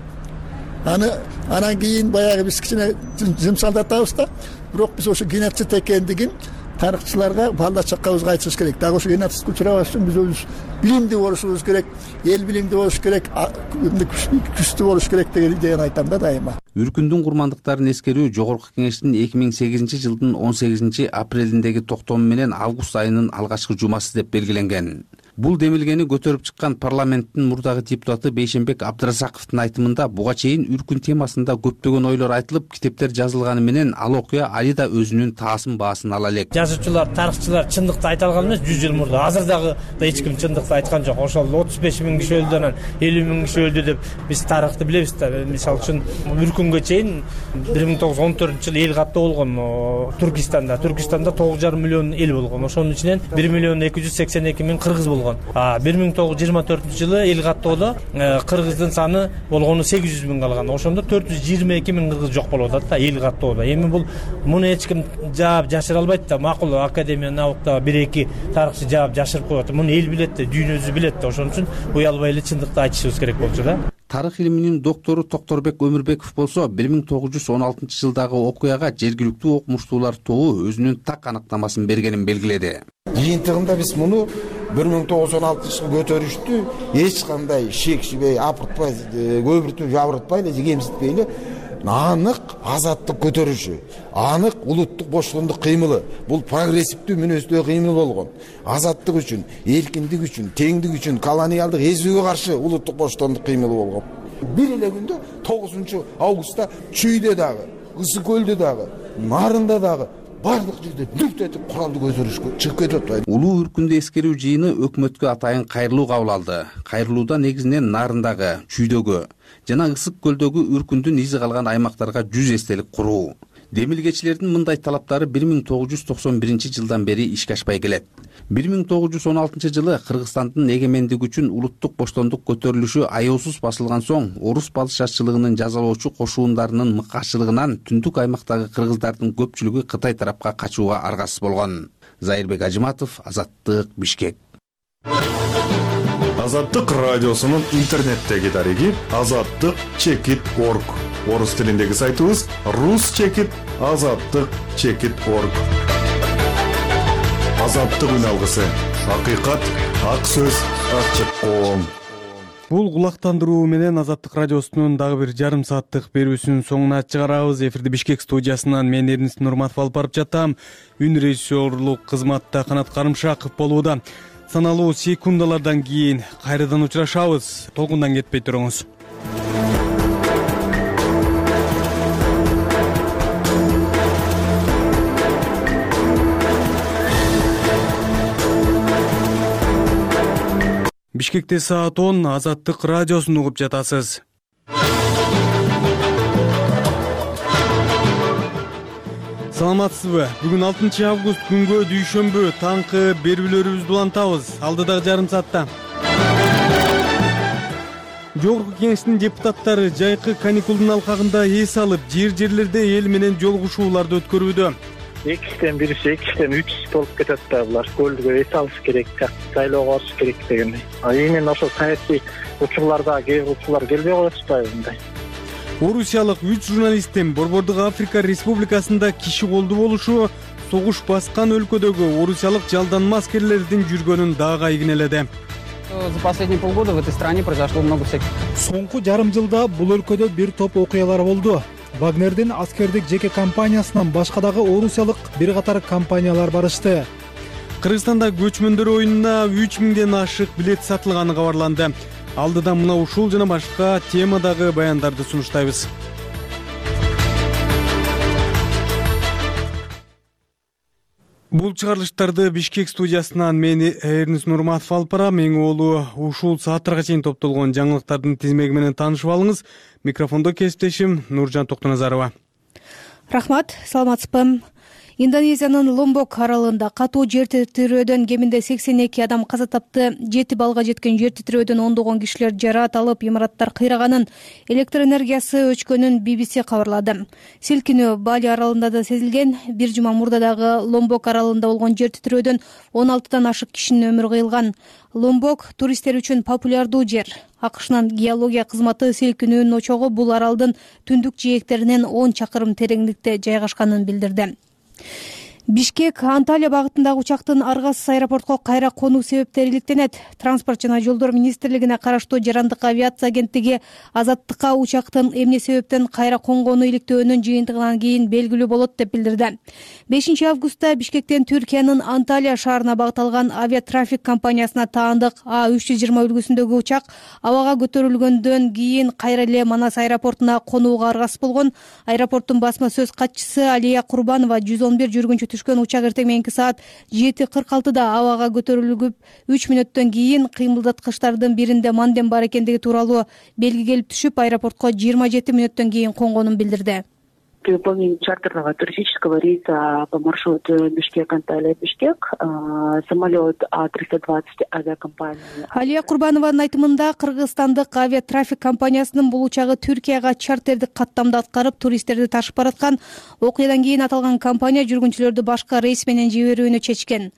Анан кийин баягы биз кичине жымсалдатабыз да. Бирок биз ошо геноцид экендигин тарыхчыларга балда чаккабызга айтышыбыз керек. Дагы ошо геноцидке учурабаш үчүн биз өзүбүз билимдүү болушубуз керек, эл билимдүү болуш керек, күчтүү болуш керек деген айтам да дайыма. Үркүндүн курмандыктарын эскерүү Жогорку Кеңештин 2008-жылдын 18-апрелиндеги токтому менен август айынын алгачкы жумасы деп белгиленген. Бул демилгени көтөрүп чыккан парламенттин мурдагы депутаты Бейшенбек Абдыразаковдун айтымында буга чейин үркүн темасында көптөгөн ойлор айтылып, китептер жазылганы менен ал окуя али да өзүнүн таасын баасын ала элек. Жазуучулар, тарыхчылар чындыкты айта алган эмес 100 жыл мурда. Азыр дагы эч ким чындыкты айткан жок. Ошол 35 000 киши өлдү, анан 50 000 киши өлдү деп биз тарыхты билебиз да. Мисалы үчүн үркүнгө чейин 1914-жылы эл каттоо болгон Түркистанда. Түркистанда 9,5 миллион эл болгон. Ошонун ичинен 1,282,000 кыргыз болгон. 1924-жылы эл каттоодо кыргыздын саны болгону 800 000 калган. Ошондо 422 000 кыргыз жок болуп атат да эл каттоодо. Эми бул муну эч ким жаап жашыра албайт да. Макул академия наукта 1-2 тарыхчы жаап жашырып коет. Муну эл билет да, дүйнө өзү билет да. Ошон үчүн уялбай эле чындыкты айтышыбыз керек болчу да. Тарых илиминин доктору Токторбек Өмүрбеков болсо 1916-жылдагы окуяга жергиликтүү окумуштуулар тобу өзүнүн так аныктамасын бергенин белгиледи. Жыйынтыгында биз муну 1916-жылы көтөрүштү эч кандай шек шибей апыртпай, көбүртүп жабыртпай эле, кемситпей эле анык азаттык көтөрүшү, анык улуттук боштондук кыймылы. Бул прогрессивдүү мүнөздүү кыймыл болгон. Азаттык үчүн, эркиндик үчүн, теңдик үчүн, колониалдык эзүүгө каршы улуттук боштондук кыймылы болгон. Бир эле күндө 9-августта Чүйдө дагы, Ысык көлдө дагы, Нарында дагы бардык жерде бүт этип куралды көтөрүшкө чыгып кетип атпайбы. Улуу үркүндү эскерүү жыйыны өкмөткө атайын кайрылуу кабыл алды. Кайрылууда негизинен Нарындагы, Чүйдөгү жана Ысык көлдөгү үркүндүн изи калган аймактарга 100 эстелик куруу. Демилгечилердин мындай талаптары 1991-жылдан бери ишке ашпай келет. 1916-жылы Кыргызстандын эгемендиги үчүн улуттук боштондук көтөрүлүшү аяосуз басылган соң, орус балышачылыгынын жазалоочу кошуундарынын мыкаачылыгынан түндүк аймактагы кыргыздардын көпчүлүгү Кытай тарапка качууга аргасыз болгон. Зайырбек Ажыматов, Азаттык, Бишкек. Азаттык радиосунун интернеттеги дареги azattyk.org. Орус тилиндеги сайтыбыз rus.azattyk.org. Азаттык үн алгысы. Акыйкат, ак сөз, ачык коом. Бул кулактандыруу менен Азаттык радиосунун дагы бир жарым сааттык берүүсүнүн соңуна чыгарабыз. Эфирди Бишкек студиясынан мен Эрнис Нурматов алып барып жатам. Үн режиссерлук кызматта Канат Карымшаков болууда. Саналуу секундалардан кийин кайрадан учурашабыз. Толкундан кетпей туруңуз. Бишкекте саат 10, Азаттык радиосун угуп жатасыз. Саламатсызбы? Бүгүн 6 август күнгө дүйшөмбү таңкы берүүлөрүбүздү улантабыз. Алдыдагы жарым саатта Жогорку Кеңештин депутаттары жайкы каникулдун алкагында эс алып, жерлерде эл менен жолугушууларды өткөрүүдө. 2-тен 1, 2-тен 3 болуп кетет да булар. Көлдүгө эс алыш керек, сайлоого барыш керек дегендей. Эми ошол саясий учурларда кээ бир учурлар келбей коет атпайбы мындай. Орусиялык 3 журналисттин Борбордук Африка Республикасында киши колду болушу согуш баскан өлкөдөгү орусиялык жалданма аскерлердин жүргөнүн дагы айгинеледи. За последние полгода в этой стране произошло много всяких. Соңку жарым жылда бул өлкөдө бир топ окуялар болду. Вагнердин аскердик жеке компаниясынан башка дагы орусиялык бир катар компаниялар барышты. Кыргызстанда көчмөндөр оюнуна 3000ден ашык билет сатылганы кабарланды. Алдыда мына ушул жана башка темадагы баяндарды сунуштайбыз. Бул чыгарылыштарды Бишкек студиясынан мен Эрнис Нурматов алып барам. Эң олу ушул сааттарга чейин топтолгон жаңылыктардын тизмеги менен таанышып алыңыз. Микрофондо кесиптешим Нуржан Токтоназарова. Рахмат, саламатсызбы? Индонезиянын Ломбок аралында катуу жер титирөөдөн кеминде 82 адам каза тапты. 7 балга жеткен жер титирөөдөн ондогон кишилер жараат алып, имараттар кыйраганын, электр энергиясы өчкөнүн BBC кабарлады. Силкинүү Бали аралында да сезилген. Бир жума мурда дагы Ломбок аралында болгон жер титирөөдөн 16 ашык кишинин өмүрү кыйылган. Ломбок туристтер үчүн популярдуу жер. АКШнын геология кызматы силкинүүнүн очогу бул аралдын түндүк жээктеринен 10 чакырым тереңдикте жайгашканын билдирди. Бишкек Анталия багытындагы учактын аргасыз аэропортко кайра конуу себептери иликтенет. Транспорт жана жолдор министрлигине караштуу Жарандык авиация агенттиги Азаттыкка учактын эмне себептен кайра конгону иликтөөнүн жыйынтыгынан кийин белгилүү болот деп билдирди. 5 августта Бишкектен Түркиянын Анталия шаарына багыт алган авиатрафик компаниясына таандык А320 үлгүсүндөгү учак абага көтөрүлгөндөн кийин кайра эле Манас аэропортуна конууга аргасыз болгон. Аэропорттун басма сөз катчысы Алия Курбанова 111 жүргүнчү түшкөн учак эртең мененки саат 7:46 абага көтөрүлүп 3 мүнөттөн кийин кыймылдаткычтардын биринде манден бар экендиги тууралуу белги келип түшүп, аэропортко 27 мүнөттөн кийин конгонун билдирди. При выполнении чартерного туристического рейса по маршруту Бишкек-Анталия-Бишкек самолет А320 авиакомпании. Алия Курбанованын айтымында кыргызстандык авиатрафик компаниясынын бул учагы Түркияга чартердик каттамда аткарып, туристтерди ташып бараткан. Окуядан кийин аталган компания жүргүнчүлөрдү башка рейс менен жиберүүнү чечкен.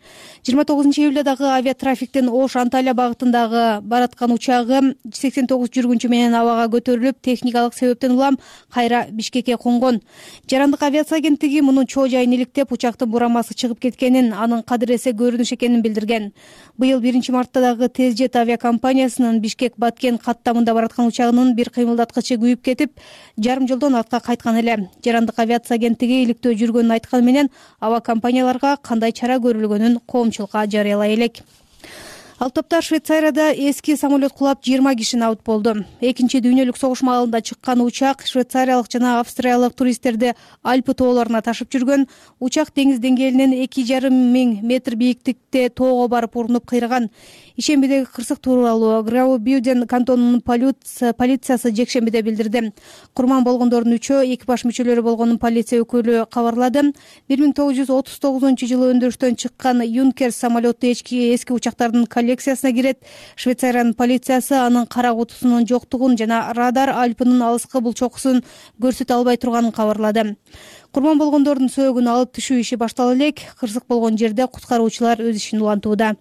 29 июлда дагы авиатрафиктин Ош-Анталия багытындагы бараткан учагы 89 жүргүнчү менен абага көтөрүлүп, техникалык себептен улам кайра Бишкекке конгон. Жарандык авиация агенттиги мунун чоо жайын иликтеп, учактын бурамасы чыгып кеткенин, анын кадыресе көрүнүш экенин билдирген. Быйыл 1 мартта дагы Тезжет авиакомпаниясынын Бишкек-Баткен каттамында бараткан учагынын бир кыймылдаткычы күйүп кетип, жарым жолдон артка кайткан эле. Жарандык авиация агенттиги иликтөө жүргөнүн айтканы менен авиакомпанияларга кандай чара көрүлгөнүн коомчулукка жарыялай элек. Ал топта Швейцарияда эски самолет кулап 20 киши набыт болду. Экинчи дүйнөлүк согуш маалында чыккан учак швейцариялык жана австриялык туристтерди Альпы тоолоруна ташып жүргөн. Учак деңиз деңгээлинен 2500 метр бийиктикте тоого барып урунуп кыйраган. Ишембидеги кырсык тууралуу Граубюден кантонунун полициясы жекшембиде билдирди. Курман болгондордун 3-өө экипаж мүчөлөрү болгонун полиция өкүлү кабарлады. 1939-жылы өндүрүштөн чыккан Юнкерс самолету эски учактардын коллекциясына кирет. Швейцариянын полициясы анын кара кутусунун жоктугун жана радар Альпынын алыскы булчокусун көрсөтө албай турганын кабарлады. Курман болгондордун сөөгүн алып түшүү иши баштала элек. Кырсык болгон жерде куткаруучулар өз ишин улантууда.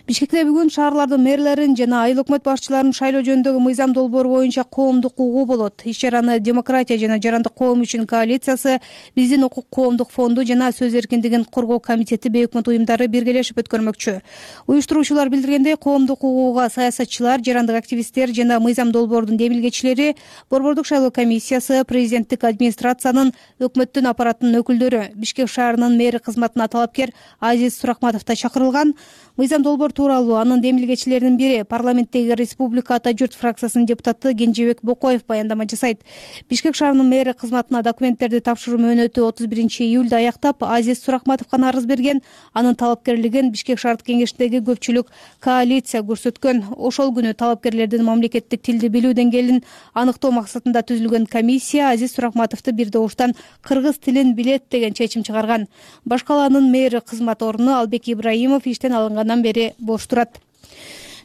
Бишкекте бүгүн шаарлардын мэрлерин жана айыл өкмөт башчыларын шайлоо жөнүндөгү мыйзам долбоору боюнча коомдук угуу болот. Иш-чараны Демократия жана жарандык коом үчүн коалициясы, Биздин укук коомдук фонду жана сөз эркиндигин коргоо комитети бейөкмөт уюмдары биргелешип өткөрмөкчү. Уюштуруучулар билдиргендей, коомдук угууга саясатчылар, жарандык активисттер жана мыйзам долбоордун демилгечилери, борбордук шайлоо комиссиясы, президенттик администрациянын, өкмөттүн аппараттын өкүлдөрү, Бишкек шаарынын мэри кызматына талапкер Азиз Суракматов да чакырылган. Мыйзам долбоор тууралуу анын демилгечилеринин бири парламенттеги Республика Ата журт фракциясынын депутаты Кенжебек Бокоев баяндама жасайт. Бишкек шаарынын мэри кызматына документтерди тапшыруу мөөнөтү 31-июлда аяктап, Азиз Суракматовго арыз берген. Анын талапкерлигин Бишкек шаардык кеңешиндеги көпчүлүк коалиция көрсөткөн. Ошол күнү талапкерлердин мамлекеттик тилди билүү деңгээлин аныктоо максатында түзүлгөн комиссия Азиз Суракматовду бир добуштан кыргыз тилин билет деген чечим чыгарган. Башкаланын мэри кызмат ордуну Албек Ибраимов иштен алынгандан бери бош турат.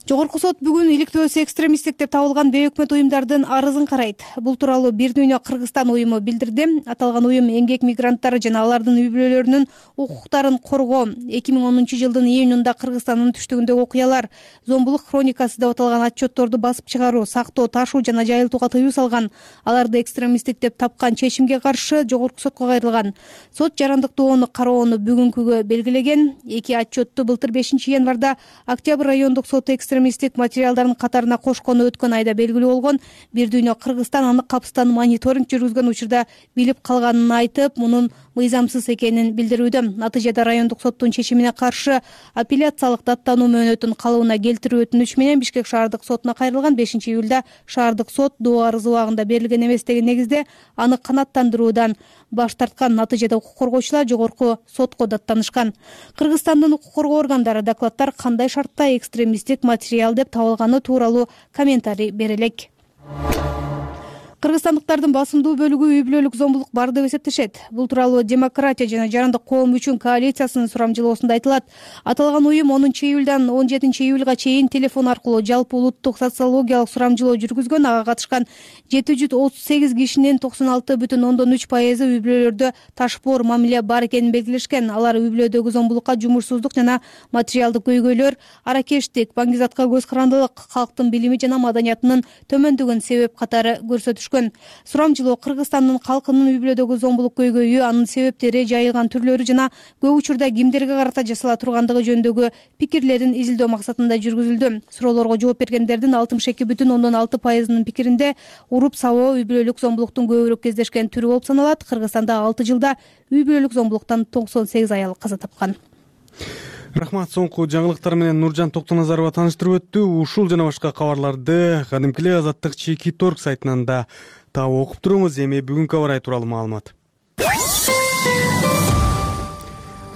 Жогорку сот бүгүн иликтөөсү экстремисттик деп табылган бейөкмөт уюмдардын арызын карайт. Бул тууралуу Бир дүйнө Кыргызстан уюму билдирди. Аталган уюм эмгек мигранттары жана алардын үй бүлөлөрүнүн укуктарын коргоо 2010-жылдын июнунда Кыргызстандын түштүгүндөгү окуялар, зомбулук хроникасы деп аталган отчетторду басып чыгаруу, сактоо, ташуу жана жайылтууга тыюу салган. Аларды экстремисттик деп тапкан чечимге каршы жогорку сотко кайрылган. Сот жарандыктоону кароону бүгүнкүгө белгилеген. Эки отчетту былтыр 5-январда Октябрь райондук соты экстремисттик материалдардын катарына кошкону өткөн айда белгилүү болгон. Бир дүйнө Кыргызстан аны капыстан мониторинг жүргүзгөн учурда билип калганын айтып, мунун мыйзамсыз экенин билдирүүдө. Натыйжада райондук соттун чечимине каршы апелляциялык даттануу мөөнөтүн калыбына келтирүү өтүнүч менен Бишкек шаардык сотуна кайрылган. 5-июлда шаардык сот доо арызы убагында берилген эмес деген негизде аны канааттандыруудан баш тарткан. Натыйжада укук коргоочулар жогорку сотко даттанышкан. Кыргызстандын укук коргоо органдары докладтар кандай шартта экстремисттик материал деп табылганы тууралуу комментарий бере элек. Кыргызстандыктардын басымдуу бөлүгү үй бүлөлүк зомбулук бар деп эсептешет. Бул тууралуу Демократия жана жарандык коом үчүн коалициясынын сурамжылоосунда айтылат. Аталган уюм 10-июлдан 17-июлга чейин телефон аркылуу жалпы улуттук социологиялык сурамжылоо жүргүзгөн. Ага катышкан 738 кишинин 96,3% үй бүлөлөрдө ташпоор мамиле бар экенин белгилешкен. Алар үй бүлөдөгү зомбулукка, жумушсуздук жана материалдык көйгөйлөр, аракештик, баңгизатка көз карандылык, калктын билими жана маданиятынын төмөндүгүн себеп катары көрсөтүшкөн. Сурамжылоо Кыргызстандын калкынын үй бүлөдөгү зомбулук көйгөйү, анын себептери, жайылган түрлөрү жана көп учурда кимдерге карата жасала тургандыгы жөнүндөгү пикирлерин изилдөө максатында жүргүзүлдү. Суроолорго жооп бергендердин 62,6%-нын пикиринде уруп сабоо үй бүлөлүк зомбулуктун көбүрөөк кездешкен түрү болуп саналат. Кыргызстанда 6 жылда үй бүлөлүк зомбулуктан 98 аял каза тапкан. Рахмат. Соңку жаңылыктар менен Нуржан Токтоназарова тааныштырып өттү. Ушул жана башка кабарларды кадимкиле Азаттык Чекит.орг сайтынан да таап окуп туруңуз. Эми бүгүнкү аба ырайы тууралуу маалымат.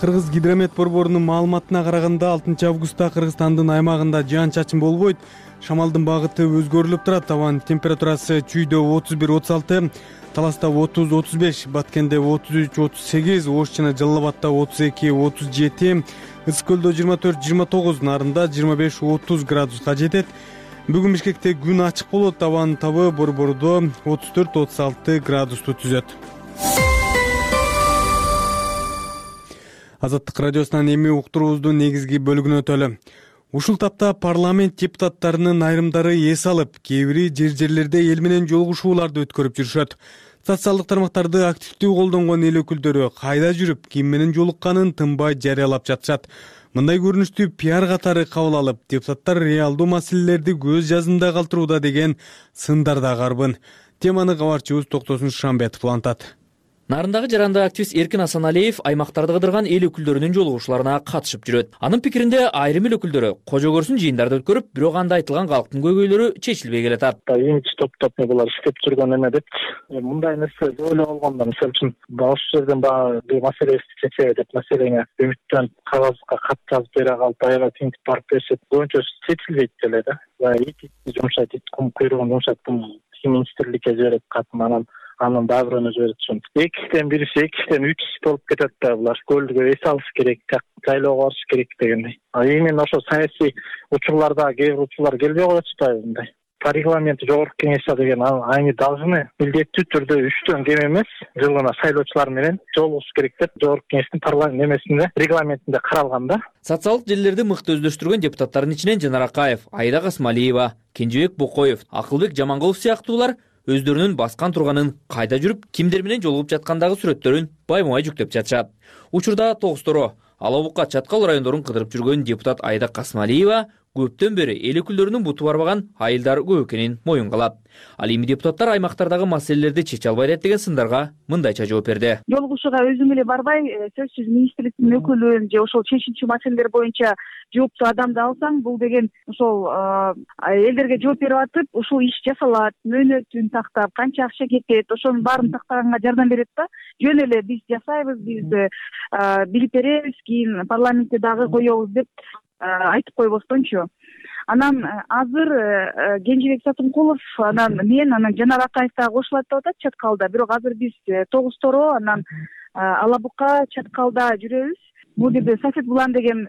Кыргыз гидромет борборунун маалыматына караганда 6 августта Кыргызстандын аймагында жаан-чачын болбойт. Шамалдын багыты өзгөрүлүп турат. Абанын температурасы Чүйдө 31-36, Таласта 30-35, Баткенде 33-38, Ош жана Жалал Абадта 32-37, Ысык көлдө 24-29, Нарында 25-30 градуска жетет. Бүгүн Бишкекте күн ачык болот. Абанын табы борбордо 34-36 градусту түзөт. Азаттык радиосунан эми уктуруубуздун негизги бөлүгүнө өтөлү. Ушул тапта парламент депутаттарынын айрымдары эс алып, кээ бири жерлерде эл менен жолугушууларды өткөрүп жүрүшөт. Социалдык тармактарды активдүү колдонгон эл өкүлдөрү кайда жүрүп, ким менен жолукканын тынбай жарыялап жатышат. Мындай көрүнүштү пиар катары кабыл алып, депутаттар реалдуу маселелерди көз жазында калтырууда деген сындар да карбын. Теманы кабарчыбыз Токтосун Шамбетов улантат. Нарындагы жарандык активист Эркин Асаналиев аймактарды кыдырган эл өкүлдөрүнүн жолугушууларына катышып жүрөт. Анын пикиринде айрым эл өкүлдөрү кожо көрсүн жыйындарды өткөрүп, бирок анда айтылган калктын көйгөйлөрү чечилбей келатат. Имидж топтоп булар иштеп жүргөн эме деп мындай нерсе көп эле болгондо, мисалы үчүн ошол жерден бул маселебизди чечеби деп маселеңе үмүттөнүп кагазга кат жазып бере калып, аябай тинтип барып беришет. Боюнча чечилбейт деле да. Ит жумшайт, ит куйругун жумшайт, министрликке жиберет катын, анын дагырына жиберет. Экиден бирisi, экиден 3 болуп кетет да булар. Көлдүгө эс алыш керек, жайлоого барыш керек дегендей. Именно ошо саясий учурларда кээ бир учурлар келбей коет атпайбы мындай. по регламенту жогорку кеңеште деген они должны милдеттүү түрдө 3төн кем эмес жылына шайлоочулар менен жолугушуш керек деп жогорку кеңештин парламент немесинде регламентинде каралган да. Социалдык желилерди мыкты өздөштүргөн депутаттардын ичинен Жанар Акаев, Айда Касмалиева, Кенжебек Бокоев, Акылбек Жамангулов сыяктуулар өздөрүнүн баскан турганын, кайда жүрүп, кимдер менен жолугуп жаткандагы сүрөттөрүн байма-бай жүктөп жатышат. Учурда Тогусторо, Алабукка, Чаткал райондорун кыдырып жүргөн депутат Айда Касмалиева көптөн бери эл өкүлдөрүнүн буту барбаган айылдар көп экенин моюнга алат. Ал эми депутаттар аймактардагы маселелерди чече албайт деген сындарга мындайча жооп берди. Жолугушууга өзүм эле барбай, сөзсүз министрликтин өкүлүн же ошол чечүүчү маселелер боюнча жооптуу адамды алсаң, бул деген ошол элдерге жооп берип атып, ушул иш жасалат, мөөнөтүн тактап, канча акча кетет, ошонун баарын тактаганга жардам берет да. Жөн эле биз жасайбыз, биз билип беребиз, кийин парламентте дагы коебуз деп айтып койбостончу. Анан азыр Кенжебек Сатымкулов, анан мен, анан Жанар Акаев дагы кошулат деп атат Чаткалда. Бирок азыр биз Тогусторо, анан Алабукка, Чаткалда жүрөбүз. Бул жерде Сафет Булан деген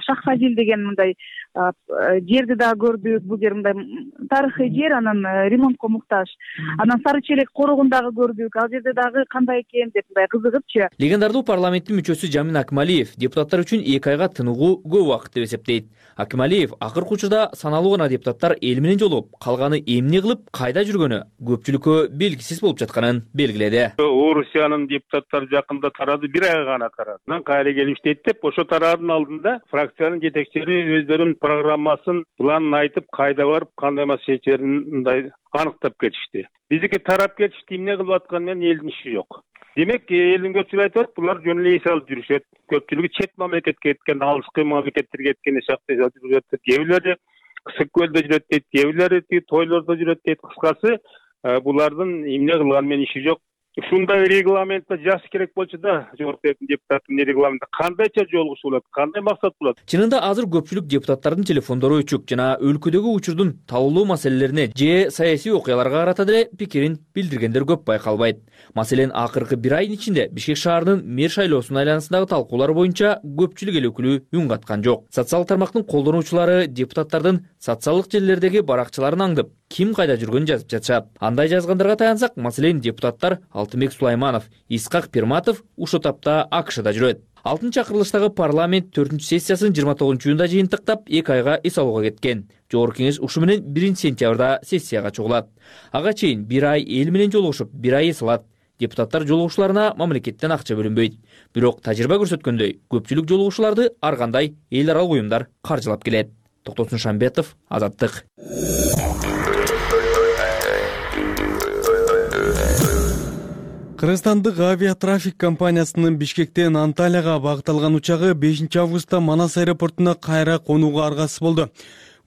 Шахфазил деген мындай жерди да көрдүк. Бул жер мындай тарыхый жер, анан ремонтко муктаж. Анан Сары Челек корогун дагы көрдүк. Ал жерде дагы кандай экен деп мындай кызыгыпчы. Легендардуу парламенттин мүчөсү Жамин Акмалиев депутаттар үчүн 2 айга тыныгуу көп убакыт деп эсептейт. Акмалиев акыркы учурда саналуу гана депутаттар эл менен жолугуп, калганы эмне кылып, кайда жүргөнү көпчүлүккө белгисиз болуп жатканын белгиледи. Орусиянын депутаттары жакында тарады, 1 ай гана тарады. Кайра келип иштейт деп, ошо тараадын алдында фракциянын жетекчилери өздөрүнүн программасын, планын айтып, кайда барып, кандай маселе чечерин мындай аныктап кетишти. Биздики тарап кетишти, эмне кылып атканы менен элдин иши жок. Демек, элдин көпчүлүгү айтып, булар жөн эле эс алып жүрүшөт. Көпчүлүгү чет мамлекетке кеткен, алыскы мамлекеттерге кеткен шакта жүрүшөт. Кээ бирлери Ысык көлдө жүрөт дейт, кээ бирлери тойлордо жүрөт дейт. Кыскасы, булардын эмне кылганы менен иши жок. Ушундай регламентте жазыш керек болчу да, жогорку депутаттын регламентте кандайча жолугушуу болот, кандай максат болот. Чынында азыр көпчүлүк депутаттардын телефондору өчүк жана өлкөдөгү учурдун табылуу маселелерине же саясий окуяларга карата деле пикирин билдиргендер көп байкалбайт. Маселен, акыркы 1 айдын ичинде Бишкек шаарынын мэр шайлоосунун айланасындагы талкуулар боюнча көпчүлүк эл өкүлү үн каткан жок. Социалдык тармактын колдонуучулары депутаттардын социалдык желилердеги баракчаларын аңдып, ким кайда жүргөнүн жазып жатышат. Андай жазгандарга таянсак, маселен, депутаттар Алтынбек Сулайманов, Исхак Пирматов ушул тапта АКШда жүрөт. 6-чакырылыштагы парламент 4-сессиясын 29-июнда жыйынтыктап 2 айга эс алууга кеткен. Жогорку кеңеш ушу менен 1-сентябрда сессияга чыгылат. Ага чейин 1 ай эл менен жолугушуп, 1 ай эс алат. Депутаттар жолугушууларына мамлекеттен акча бөлүнбөйт. Бирок тажрыйба көрсөткөндөй, көпчүлүк жолугушууларды ар кандай эл аралык уюмдар каржылап келет. Токтосун Шамбетов, Азаттык. Кыргызстандык авиатрафик компаниясынын Бишкектен Анталияга багытталган учагы 5-августта Манас аэропортуна кайра конууга аргасыз болду.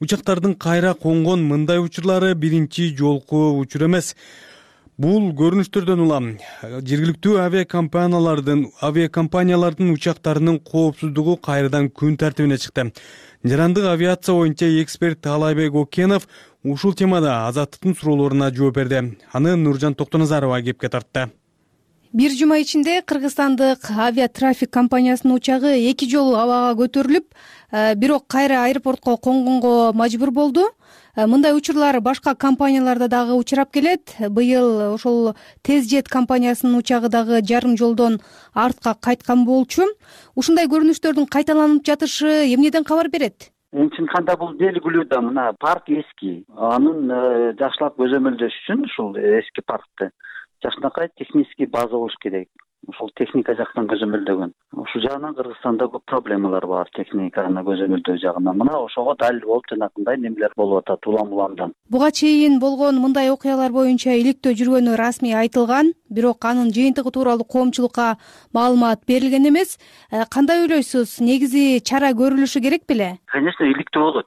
Учактардын кайра конгон мындай учурлары биринчи жолку учур эмес. Бул көрүнүштөрдөн улам жергиликтүү авиакомпаниялардын учактарынын коопсуздугу кайрадан күн тартибине чыкты. Жарандык авиация боюнча эксперт Талайбек Окенов ушул темада Азаттыктын суроолоруна жооп берди. Аны Нуржан Токтоназарова кепке тартты. 1 жума ичинде Кыргызстандык авиатрафик компаниясынын учагы 2 жолу абага көтөрүлүп, бирок кайра аэропортко конгонго мажбур болду. Мындай учурлар башка компанияларда дагы учурап келет. Быйыл ошол Тезжет компаниясынын учагы дагы жарым жолдон артка кайткан болчу. Ушундай көрүнүштөрдүн кайталанып жатышы эмнеден кабар берет? Чын канда бул белгилүү да, мына парк эски. Анын жакшылап көзөмөлдөш үчүн ушул эски паркты жакшынакай технический база болуш керек. Ушул техника жактан көзөмөлдөгөн. Ушул жагынан Кыргызстанда көп проблемалар бар, техниканы көзөмөлдөө жагынан. Мына ошого далил болуп жанакындай немелер болуп атат улам-уламдан. Буга чейин болгон мындай окуялар боюнча иликтөө жүргөнү расмий айтылган, бирок анын жыйынтыгы тууралуу коомчулукка маалымат берилген эмес. Кандай ойлойсуз? Негизи чара көрүлүшү керек беле? Конечно, иликтөө болот.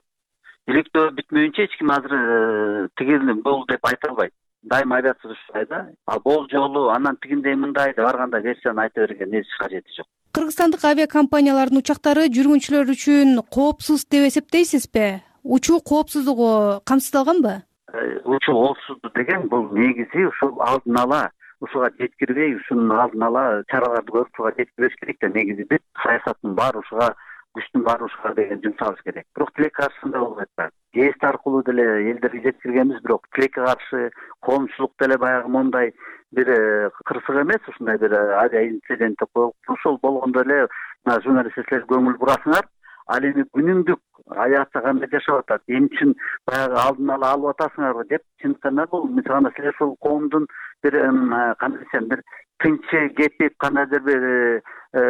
Иликтөө бүтмөйүнчө эч ким азыр тигил болду деп айта албайт. Дайыма авиация ушулай да. Ал бул жолу анан тигиндей мындай деп ар кандай версияны айта берген эч кажети жок. Кыргызстандык авиакомпаниялардын учактары жүргүнчүлөр үчүн коопсуз деп эсептейсизби? Учуу коопсуздугу камсыздалганбы? Учуу коопсуздук деген бул негизи ушул алдын ала ушуга жеткирбей, ушунун алдын ала чараларды көрүп ушуга жеткирбеш керек да. Негизи биз саясаттын баары ушуга күчтүн баары ушуга деген жумшабыз керек. Бирок тилек каршысында болбойт да. гест аркылуу деле элдерге жеткиргенбиз, бирок тилекке каршы коомчулук деле баягы мондай бир кырсык эмес, ушундай бир авиаинцидент болуп, ошол болгондо эле журналисттер көңүл бурасыңар. Ал эми күнүмдүк аятта кандай жашап атат, эмне үчүн баягы алдын ала алып атасыңарбы деп, чындыгында бул мисалы силер ушул коомдун бир кандай десем, бир тынчы кетип кандайдыр бир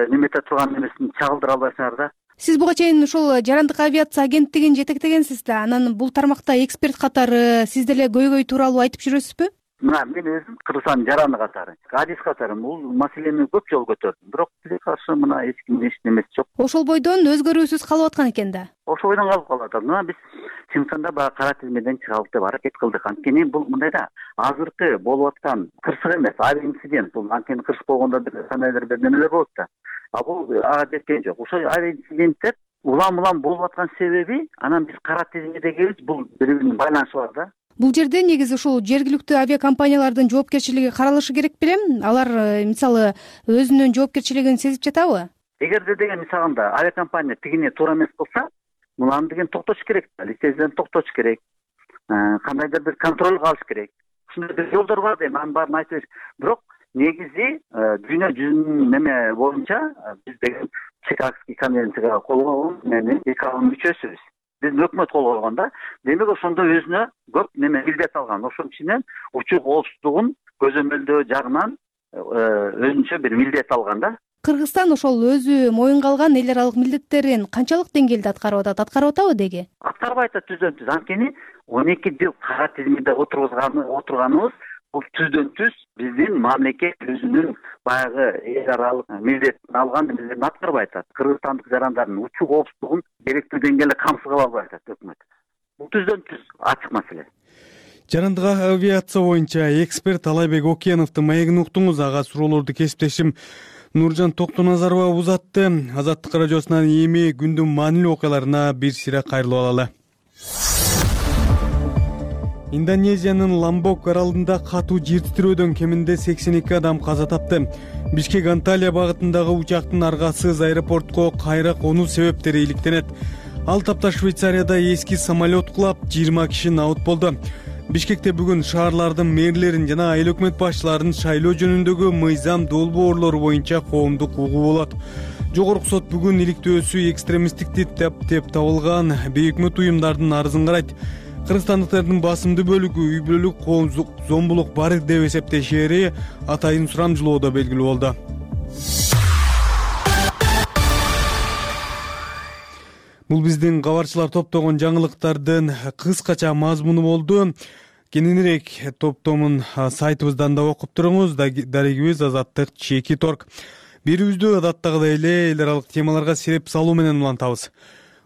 немете турган эмесин чагылдыра албайсыңар да. Сиз буга чейин ушул жарандык авиация агенттигин жетектегенсиз да, анан бул тармакта эксперт катары сиз деле көйгөй тууралуу айтып жүрөсүзбү? Мына мен өзүм Кыргызстандын жараны катары, адис катары бул маселени көп жолу көтөрдүм, бирок тилекке каршы мына эч кимдин эч немеси жок. Ошол бойдон өзгөрүүсүз калып аткан экен да. Ошол бойдон калып атат. Мына биз чындыгында баягы кара тизмеден чыгабыз деп аракет кылдык. Анткени бул мындай да, азыркы болуп аткан кырсык эмес, авиаинцидент. Бул анткени кырсык болгондо бир кандайдыр бир немелер болот да. А бул ага жеткен жок. Ошол авиаинциденттер улам болуп аткан себеби, анан биз кара тизмедегибиз бул бири-биринин байланышы бар да. Бул жерде негизи ушул жергиликтүү авиакомпаниялардын жоопкерчилиги каралышы керек белем? Алар мисалы өзүнүн жоопкерчилигин сезип жатабы? Эгерде деген мисалында авиакомпания тигине туура эмес кылса, муланы деген токтотуш керек да, лицензияны токтотуш керек. Кандайдыр бир контролго алыш керек. Ушундай бир жолдор бар дейм, анын баарын айтып бериш. Бирок негизи дүйнө жүзүнүн неме боюнча биз деген Чикагский конвенцияга кол койгон менен ИКАОнун мүчөсүбүз. Биздин өкмөт кол койгон да. Демек ошондо өзүнө көп неме милдет алган. Ошонун ичинен учуу коопсуздугун көзөмөлдөө жагынан өзүнчө бир милдет алган да. Кыргызстан ошол өзү моюнга алган эл аралык милдеттерин канчалык деңгээлде аткарып атабы деги? Аткарбай атат түздөн-түз. Анткени 12 жыл кара тизмеде отурганыбыз бул түздөн-түз биздин мамлекет өзүнүн баягы эл аралык милдетин алган милдетин аткарбай атат. Кыргызстандык жарандардын учуу коопсуздугун керектүү деңгээлде камсыз кыла албай атат өкмөт. Бул түздөн-түз ачык маселе. Жарандык авиация боюнча эксперт Алайбек Океновдун маегин уктуңуз. Ага суроолорду кесиптешим Нуржан Токтоназарова узатты. Азаттык радиосунан эми күндүн маанилүү окуяларына бир сире кайрылып алалы. Индонезиянын Ламбок аралында катуу жер титирөөдөн кеминде 82 адам каза тапты. Бишкек Анталия багытындагы учактын аргасыз аэропортко кайра конуу себептери иликтенет. Ал тапта Швейцарияда эски самолет кулап 20 киши наут болду. Бишкекте бүгүн шаарлардын мэрлерин жана айыл өкмөт башчыларын шайлоо жөнүндөгү мыйзам долбоорлору боюнча коомдук угуу болот. Жогорку сот бүгүн иликтөөсү экстремисттикти деп табылган бейөкмөт уюмдардын арызын карайт. Кыргызстандыктардын басымдуу бөлүгү үй бүлөлүк коомдук зомбулук бар деп эсептешери атайын сурамжылоодо белгилүү болду. Бул биздин кабарчылар топтогон жаңылыктардын кыскача мазмуну болду. Кененирээк топтомун сайтыбыздан да окуп туруңуз. Дарегибиз Азаттык.org. Берүүбүздү адаттагыдай эле эл аралык темаларга сереп салуу менен улантабыз.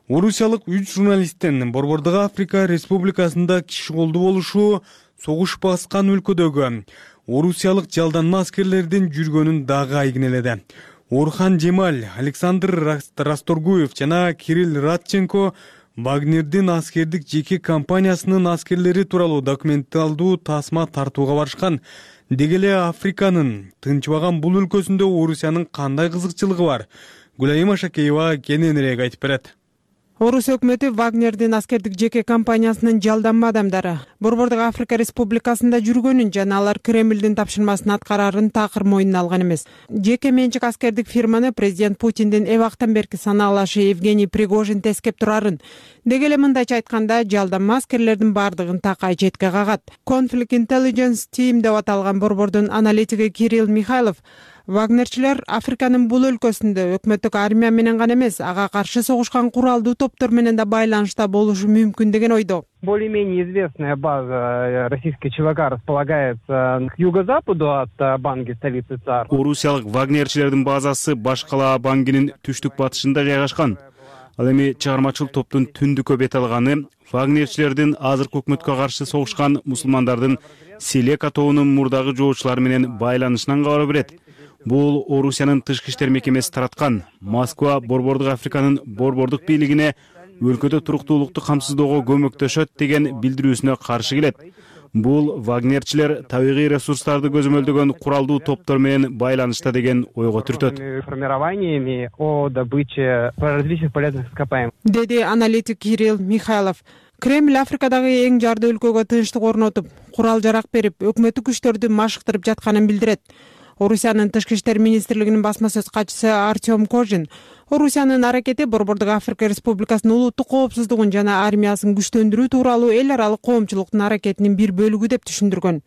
Орусиялык 3 журналисттин Борбордук Африка Республикасында киши колду болушу согуш баскан өлкөдөгү орусиялык жалданма аскерлердин жүргөнүн дагы айгинеледи. Орхан Жемаль, Александр Расторгуев жана Кирилл Радченко Вагнердин аскердик жеке компаниясынын аскерлери тууралуу документалдуу тасма тартууга барышкан. Деги эле Африканын тынчбаган бул өлкөсүндө Орусиянын кандай кызыкчылыгы бар? Гүлайым Шакеева кененирээк айтып берет. Орус өкмөтү Вагнердин аскердик жеке компаниясынын жалданма адамдары Борбордук Африка Республикасында жүргөнүн жана алар Кремлдин тапшырмасын аткарарын такыр мойнуна алган эмес. Жеке менчик аскердик фирманы президент Путиндин эбактан берки санаалашы Евгений Пригожин тескеп турарын. Деги эле мындайча айтканда, жалданма аскерлердин бардыгын такай четке кагат. Conflict Intelligence Team деп аталган борбордун аналитиги Кирилл Михайлов Вагнерчилер Африканын бул өлкөсүндө өкмөттүк армия менен гана эмес, ага каршы согушкан куралдуу топтор менен да байланышта болушу мүмкүн деген ойдо. Более-менее известная база российских ЧВК располагается к юго-западу от Банги, столицы ЦАР. Орусиялык вагнерчилердин базасы башкала Бангинин түштүк батышында жайгашкан. Ал эми чыгармачыл топтун түндүккө бет алганы вагнерчилердин азыркы өкмөткө каршы согушкан мусулмандардын Селека тобунун мурдагы жоочулары менен байланышынан кабар берет. Бул Орусиянын тышкы иштер мекемеси тараткан. Москва Борбордук Африканын борбордук бийлигине өлкөдө туруктуулукту камсыздоого көмөктөшөт деген билдирүүсүнө каршы келет. Бул вагнерчилер табигый ресурстарды көзөмөлдөгөн куралдуу топтор менен байланышта деген ойго түртөт. Формированиями о добыче различных полезных ископаемых. Деди аналитик Кирилл Михайлов. Кремль Африкадагы эң жарды өлкөгө тынчтык орнотуп, курал жарак берип, өкмөттүк күчтөрдү машыктырып жатканын билдирет. Орусиянын тышкы иштер министрлигинин басма сөз катчысы Артем Кожин Орусиянын аракети Борбордук Африка Республикасынын улуттук коопсуздугун жана армиясын күчтөндүрүү тууралуу эл аралык коомчулуктун аракетинин бир бөлүгү деп түшүндүргөн.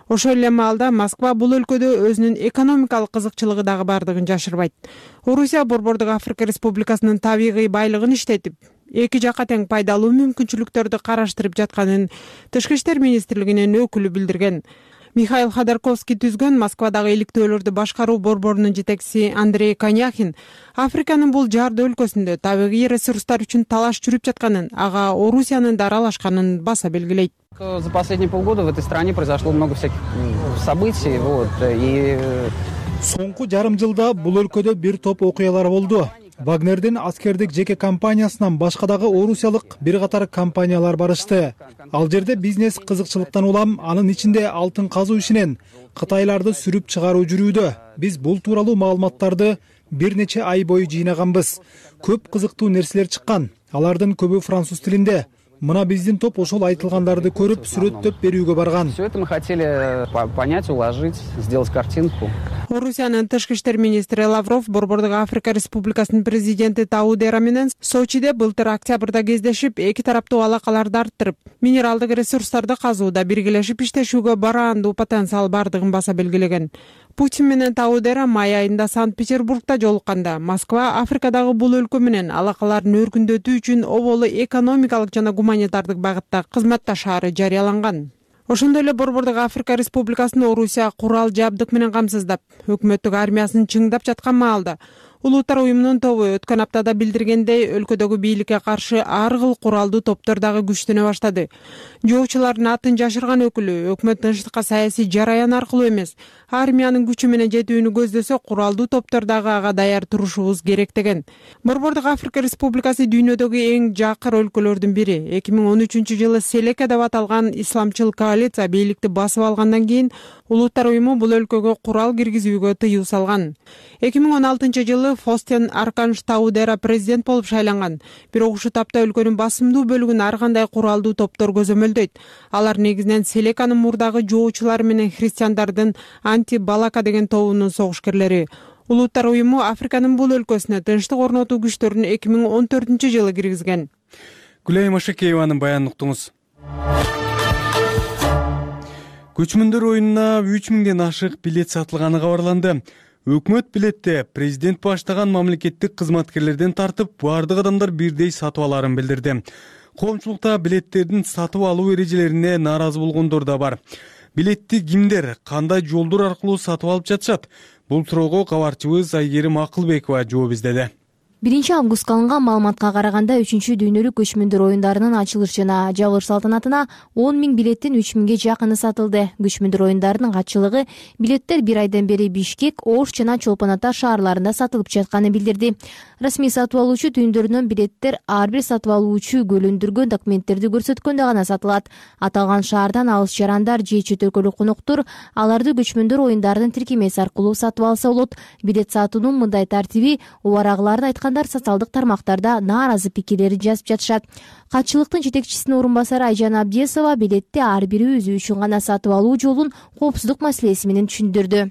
Ошол эле маалда Москва бул өлкөдө өзүнүн экономикалык кызыкчылыгы дагы бардыгын жашырбайт. Орусия Борбордук Африка Республикасынын табигый байлыгын иштетип, эки жакка тең пайдалуу мүмкүнчүлүктөрдү караштырып жатканын тышкы иштер министрлигинин өкүлү билдирген. Михаил Ходорковский түзгөн Москвадагы иликтөөлөрдү башкаруу борборунун жетекчиси Андрей Коняхин Африканын бул жарды өлкөсүндө табигый ресурстар үчүн талаш жүрүп жатканын, ага Орусиянын да аралашканын баса белгилейт. За последние полгода в этой стране произошло много всяких событий, и Соңку жарым жылда бул өлкөдө бир топ окуялар болду. Вагнердин аскердик жеке компаниясынан башка дагы орусиялык бир катар компаниялар барышты. Ал жерде бизнес кызыкчылыктан улам, анын ичинде алтын казуу ишинен Кытайларды сүрүп чыгаруу жүрүүдө. Биз бул тууралуу маалыматтарды бир нече ай бою жыйнаганбыз. Көп кызыктуу нерселер чыккан. Алардын көбү француз тилинде. Мына биздин топ ошол айтылгандарды көрүп сүрөттөп берүүгө барган. Все это мы хотели понять, уложить, сделать картинку. Орусиянын тышкы иштер министри Лавров Борбордук Африка Республикасынын президенти Таудера менен Сочиде былтыр октябрда кездешип, эки тараптуу алакаларды арттырып, минералдык ресурстарды казууда биргелешип иштешүүгө бараандуу потенциал бардыгын баса белгилеген. Путин менен Таудера май айында Санкт-Петербургда жолукканда Москва Африкадагы бул өлкө менен алакаларын өркүндөтүү үчүн оболу экономикалык жана гуманитардык багытта кызматташаары жарыяланган. Ошондой эле Борбордук Африка Республикасын Орусия курал жабдык менен камсыздап, өкмөттүк армиясын чыңдап жаткан маалда Улуттар уюмунун тобу өткөн аптада билдиргендей, өлкөдөгү бийликке каршы ар кыл куралдуу топтор дагы күчтөнө баштады. Жоочулардын атын жашырган өкүлү өкмөт тынчтыкка саясий жараян аркылуу эмес, армиянын күчү менен жетүүнү көздөсө, куралдуу топтор дагы ага даяр турушубуз керек деген. Борбордук Африка Республикасы дүйнөдөгү эң жакыр өлкөлөрдүн бири. 2013-жылы Селека деп аталган исламчыл коалиция бийликти басып алгандан кийин Улуттар уюму бул өлкөгө курал киргизүүгө тыюу салган. 2016-жылы Фостен Арканш Таудера президент болуп шайланган. Бирок ушул тапта өлкөнүн басымдуу бөлүгүн ар кандай куралдуу топтор көзөмөлдөйт. Алар негизинен Селеканын мурдагы жоочулары менен христиандардын анти-Балака деген тобунун согушкерлери. Улуттар уюму Африканын бул өлкөсүнө тынчтык орнотуу күчтөрүн 2014-жылы киргизген. Гүлай Машакееванын баянын уктуңуз. Көчмөндөр оюнуна 3000ден ашык билет сатылганы кабарланды. Өкмөт билетте президент баштаган мамлекеттик кызматкерлерден тартып бардык адамдар бирдей сатып аларын билдирди. Коомчулукта билеттердин сатып алуу эрежелерине нааразы болгондор да бар. Билетти кимдер, кандай жолдор аркылуу сатып алып жатышат? Бул суроого кабарчыбыз Айгерим Акылбекова жооп издеди. 1-августка алынган маалыматка караганда 3-дүйнөлүк көчмөндөр оюндарынын ачылыш жана жабылыш салтанатына 10 000 билеттин 3 000ге жакыны сатылды. Көчмөндөр оюндарынын катчылыгы билеттер бир айдан бери Бишкек, Ош жана Чолпон Ата шаарларында сатылып жатканын билдирди. Расмий сатып алуучу түйүндөрүнөн билеттер ар бир сатып алуучу көлөндүргөн документтерди көрсөткөндө гана сатылат. Аталган шаардан алыс жарандар же чет өлкөлүк конуктор аларды көчмөндөр оюндарынын тиркемеси аркылуу сатып алса болот. Билет сатуунун мындай тартиби убарагыларды айткандар социалдык тармактарда нааразы пикирлерин жазып жатышат. Катчылыктын жетекчисинин орун басары Айжан Абдиесова билетти ар бири өзү үчүн гана сатып алуу жолун коопсуздук маселеси менен түшүндүрдү.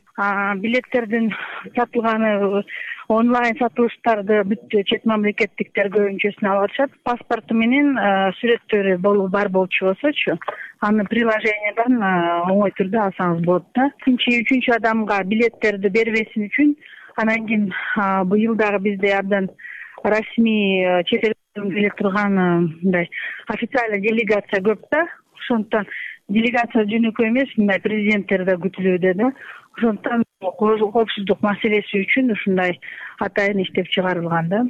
Билеттердин сатылганы онлайн сатылыштарды бүт чет мамлекеттиктер көбүнчөсүн алып атышат. Паспорту менен сүрөттөрү бар болчу болсочу, аны приложенияден оңой түрдө алсаңыз болот да. Экинчи, 3-чү адамга билеттерди бербесин үчүн анан кийин быйыл дагы бизде абдан расмий чет элден келе турган мындай официальный делегация көп да. Ошондуктан делегация жөнөкөй эмес, мындай президенттер да күтүлүүдө да. Ошондуктан коопсуздук маселеси үчүн ушундай атайын иштеп чыгарылган да.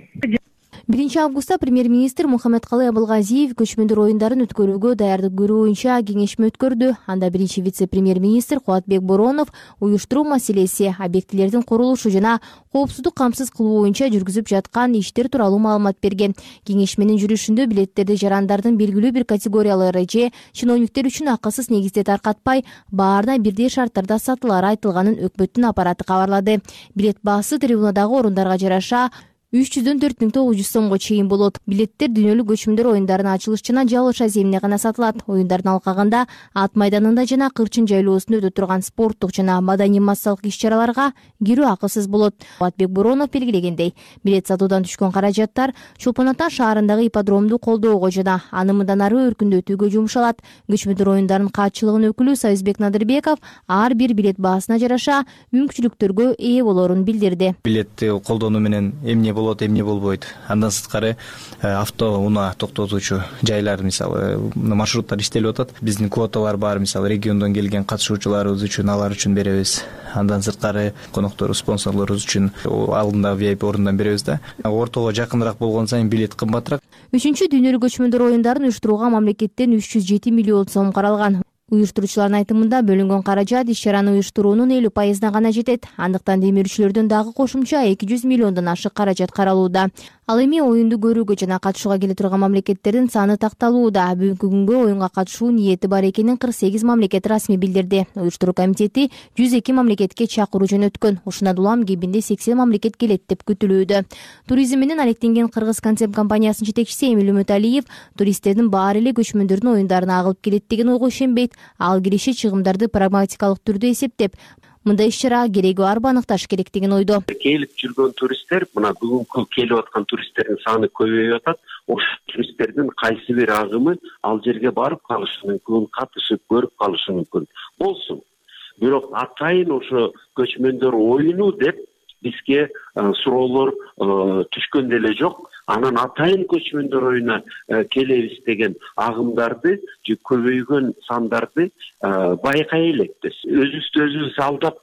1-августта премьер-министр Мухаммедкалый Абылгазиев көчмөндөр оюндарын өткөрүүгө даярдык көрүү боюнча кеңешме өткөрдү. Анда биринчи вице-премьер-министр Кубатбек Боронов уюштуруу маселеси, объектилердин курулушу жана коопсуздук камсыз кылуу боюнча жүргүзүп жаткан иштер тууралуу маалымат берген. Кеңешменин жүрүшүндө билеттерди жарандардын белгилүү бир категориялары же чиновниктер үчүн акысыз негизде таркатпай, баарына бирдей шарттарда сатылары айтылганын өкмөттүн аппараты кабарлады. Билет баасы трибунадагы орундарга жараша 304.900 сомго чейин болот. Билеттер дүйнөлүк көчмөндөр оюндарынын ачылыш жана жабылыш аземине гана сатылат. Оюндардын алкагында ат майданында жана Кырчын жайлоосунда өтө турган спорттук жана маданий массалык иш-чараларга кирүү акысыз болот. Батбек Боронов белгилегендей, билет сатуудан түшкөн каражаттар Чолпон Ата шаарындагы ипподромду колдоого жана аны мындан ары өркүндөтүүгө жумшалат. Көчмөндөр оюндарынын катчылыгынын өкүлү Союзбек Надырбеков ар бир билет баасына жараша мүмкүнчүлүктөргө ээ болоорун билдирди. Билетти колдонуу менен эмне болот, эмне болбойт. Андан сырткары автоунаа токтотуучу жайлар, мисалы, маршруттар иштелип атат. Биздин квоталар бар, мисалы, региондон келген катышуучуларыбыз үчүн алар үчүн беребиз. Андан сырткары коноктору, спонсорлорубуз үчүн алдындагы VIP орундан беребиз да. Ортого жакыныраак болгон сайын билет кымбатыраак. 3-чү дүйнөлүк көчмөндөр оюндарын уюштурууга мамлекеттен 307 миллион сом каралган. Уюштуруучулардын айтымында бөлүнгөн каражат иш-чараны уюштуруунун 50%-на гана жетет. Андыктан демирүүчүлөрдөн дагы кошумча 200 миллиондон ашык каражат каралууда. Ал эми оюнду көрүүгө жана катышууга келе турган мамлекеттердин саны такталууда. Бүгүнкү күнгө оюнга катышуу ниети бар экенин 48 мамлекет расмий билдирди. Уюштуруу комитети 102 мамлекетке чакыруу жөнөткөн. Ушундан улам кебинде 80 мамлекет келет деп күтүлүүдө. Туризм менен алектенген Кыргыз концепт компаниясынын жетекчиси Эмил Үмөталиев туристтердин баары эле көчмөндөрдүн оюндарына агылып келет деген ойго ишенбейт. Ал киреше чыгымдарды прагматикалык түрдө эсептеп, мындай иш-чарага кереги барбы аныкташ керек деген ойдо. Келип жүргөн туристтер, мына бүгүнкү келип аткан туристтердин саны көбөйүп атат. Ошол туристтердин кайсы бир агымы ал жерге барып калышы мүмкүн, катышып көрүп калышы мүмкүн. Болсун. Бирок атайын ошо көчмөндөр оюну деп бизге суроолор түшкөн деле жок. Анан атайын көчмөндөр оюна келебиз деген агымдарды, көбөйгөн сандарды байкай элекпиз. Өзүбүздү өзүбүз алдап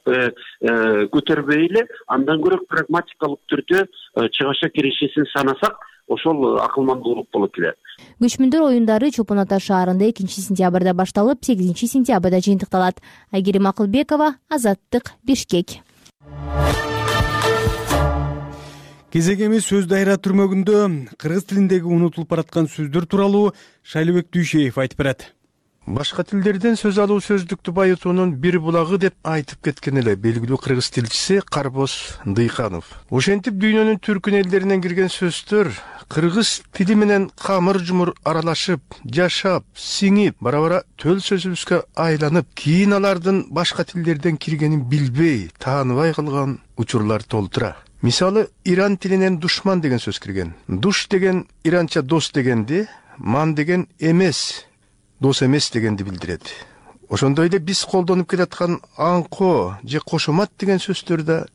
көтөрбөй эле, андан көрө прагматикалык түрдө чыгаша кирешесин санасак, ошол акылмандуулук болот эле. Көчмөндөр оюндары Чолпон Ата шаарында 2-сентябрда башталып, 8-сентябрда жыйынтыкталат. Айгерим Акылбекова, Азаттык, Бишкек. Кезегеми сөз дайра түрмөгүндө кыргыз тилиндеги унутулуп бараткан сөздөр тууралуу Шайлыбек Дүйшеев айтып берет. Башка тилдерден сөз алуу сөздүктү байытуунун бир булагы деп айтып кеткен эле белгилүү кыргыз тилчиси Карбоз Дыйканов. Ошентип дүйнөнүн түркүн элдеринен кирген сөздөр кыргыз тили менен камыр-жумур аралашып, жашап, сиңип, бара-бара төл сөзүбүзгө айланып, кийин алардын башка тилдерден киргенин билбей, тааныбай калган учурлар толтура. Мисалы, иран тилинен душман деген сөз кирген. Душ деген иранча дос дегенди, ман деген эмес, дос эмес дегенди билдирет. Ошондой эле биз колдонуп келаткан аңко же кошомат деген сөздөр да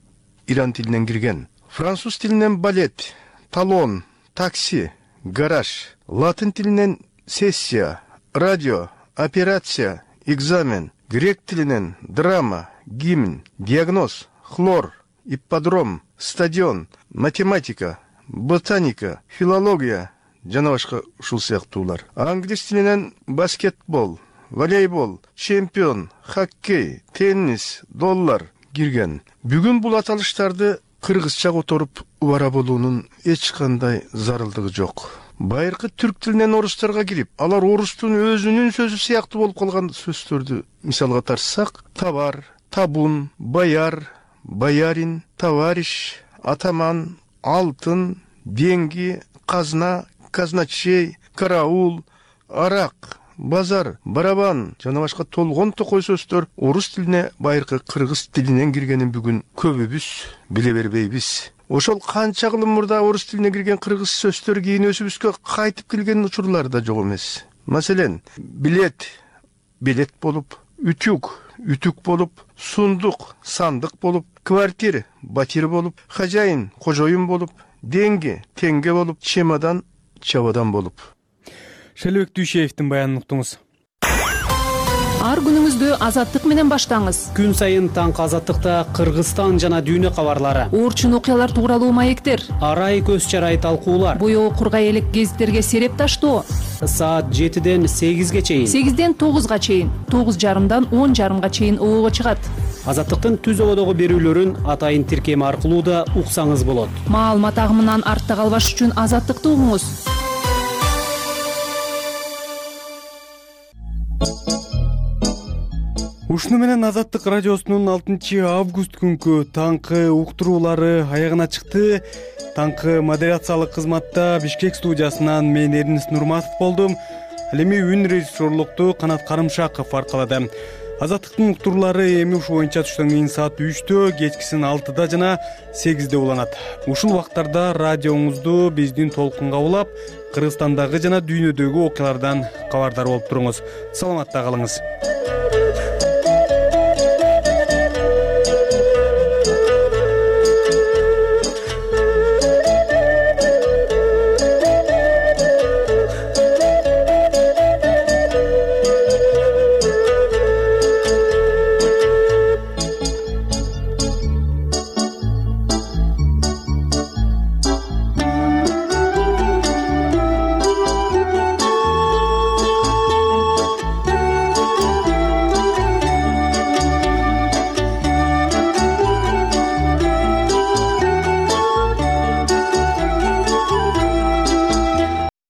иран тилинен кирген. Француз тилинен балет, талон, такси, гараж, латын тилинен сессия, радио, операция, экзамен, грек тилинен драма, гимн, диагноз, хлор, ипподром, стадион, математика, ботаника, филология жана башка ушул сыяктуулар. Англис тилинен баскетбол, волейбол, чемпион, хоккей, теннис, доллар кирген. Бүгүн бул аталыштарды кыргызча которуп убара болуунун эч кандай зарылдыгы жок. Байыркы түрк тилинен орустарга кирип, алар орустун өзүнүн сөзү сыяктуу болуп калган сөздөрдү мисалга тартсак, товар, табун, бояр, боярин, товарищ, атаман, алтын, деньги, казна, казначей, караул, арак, базар, барабан жана башка толгон токой сөздөр орус тилине байыркы кыргыз тилинен киргенин бүгүн көбүбүз биле бербейбиз. Ошол канча кылым мурда орус тилине кирген кыргыз сөздөр кийин өзүбүзгө кайтып келген учурлар да жок эмес. Маселен, билет, билет болуп, үтүк, үтүк болуп, сундук, сандык болуп, квартир, батир болуп, хожайын, кожоюн болуп, деньги, теңге болуп, чемодан, чабадан болуп. Шайлыбек Дүйшеевдин баянын уктуңуз. Ар күнүңүздү Азаттык менен баштаңыз. Күн сайын таңкы Азаттыкта Кыргызстан жана дүйнө кабарлары, орчун окуялар тууралуу маектер, арай көз чарай талкуулар, боёо кургай элек гезиттерге сереп таштоо. Саат 7-ден 8-ге чейин, 8-ден 9-га чейин, 9:30-дан 10:30-га чейин обого чыгат. Азаттыктын түз ободогу берүүлөрүн атайын тиркеми аркылуу да уксаңыз болот. Маалымат агымынан артта калбаш үчүн Азаттыкты угуңуз. ушуну менен Азаттык радиосунун 6 август күнкү таңкы уктуруулары аягына чыкты. Таңкы модерациялык кызматта Бишкек студиясынан мен Эрнис Нурматов болдум. Ал эми үн режиссерлукту Канат Карымшаков аркалады. Азаттыктын уктуруулары эми ушу боюнча түштөн кийин саат 3-тө, кечкисин 6-да жана 8-де уланат. Ушул убактарда радиоңузду биздин толкунга улап, Кыргызстандагы жана дүйнөдөгү окуялардан кабардар болуп туруңуз. Саламатта калыңыз.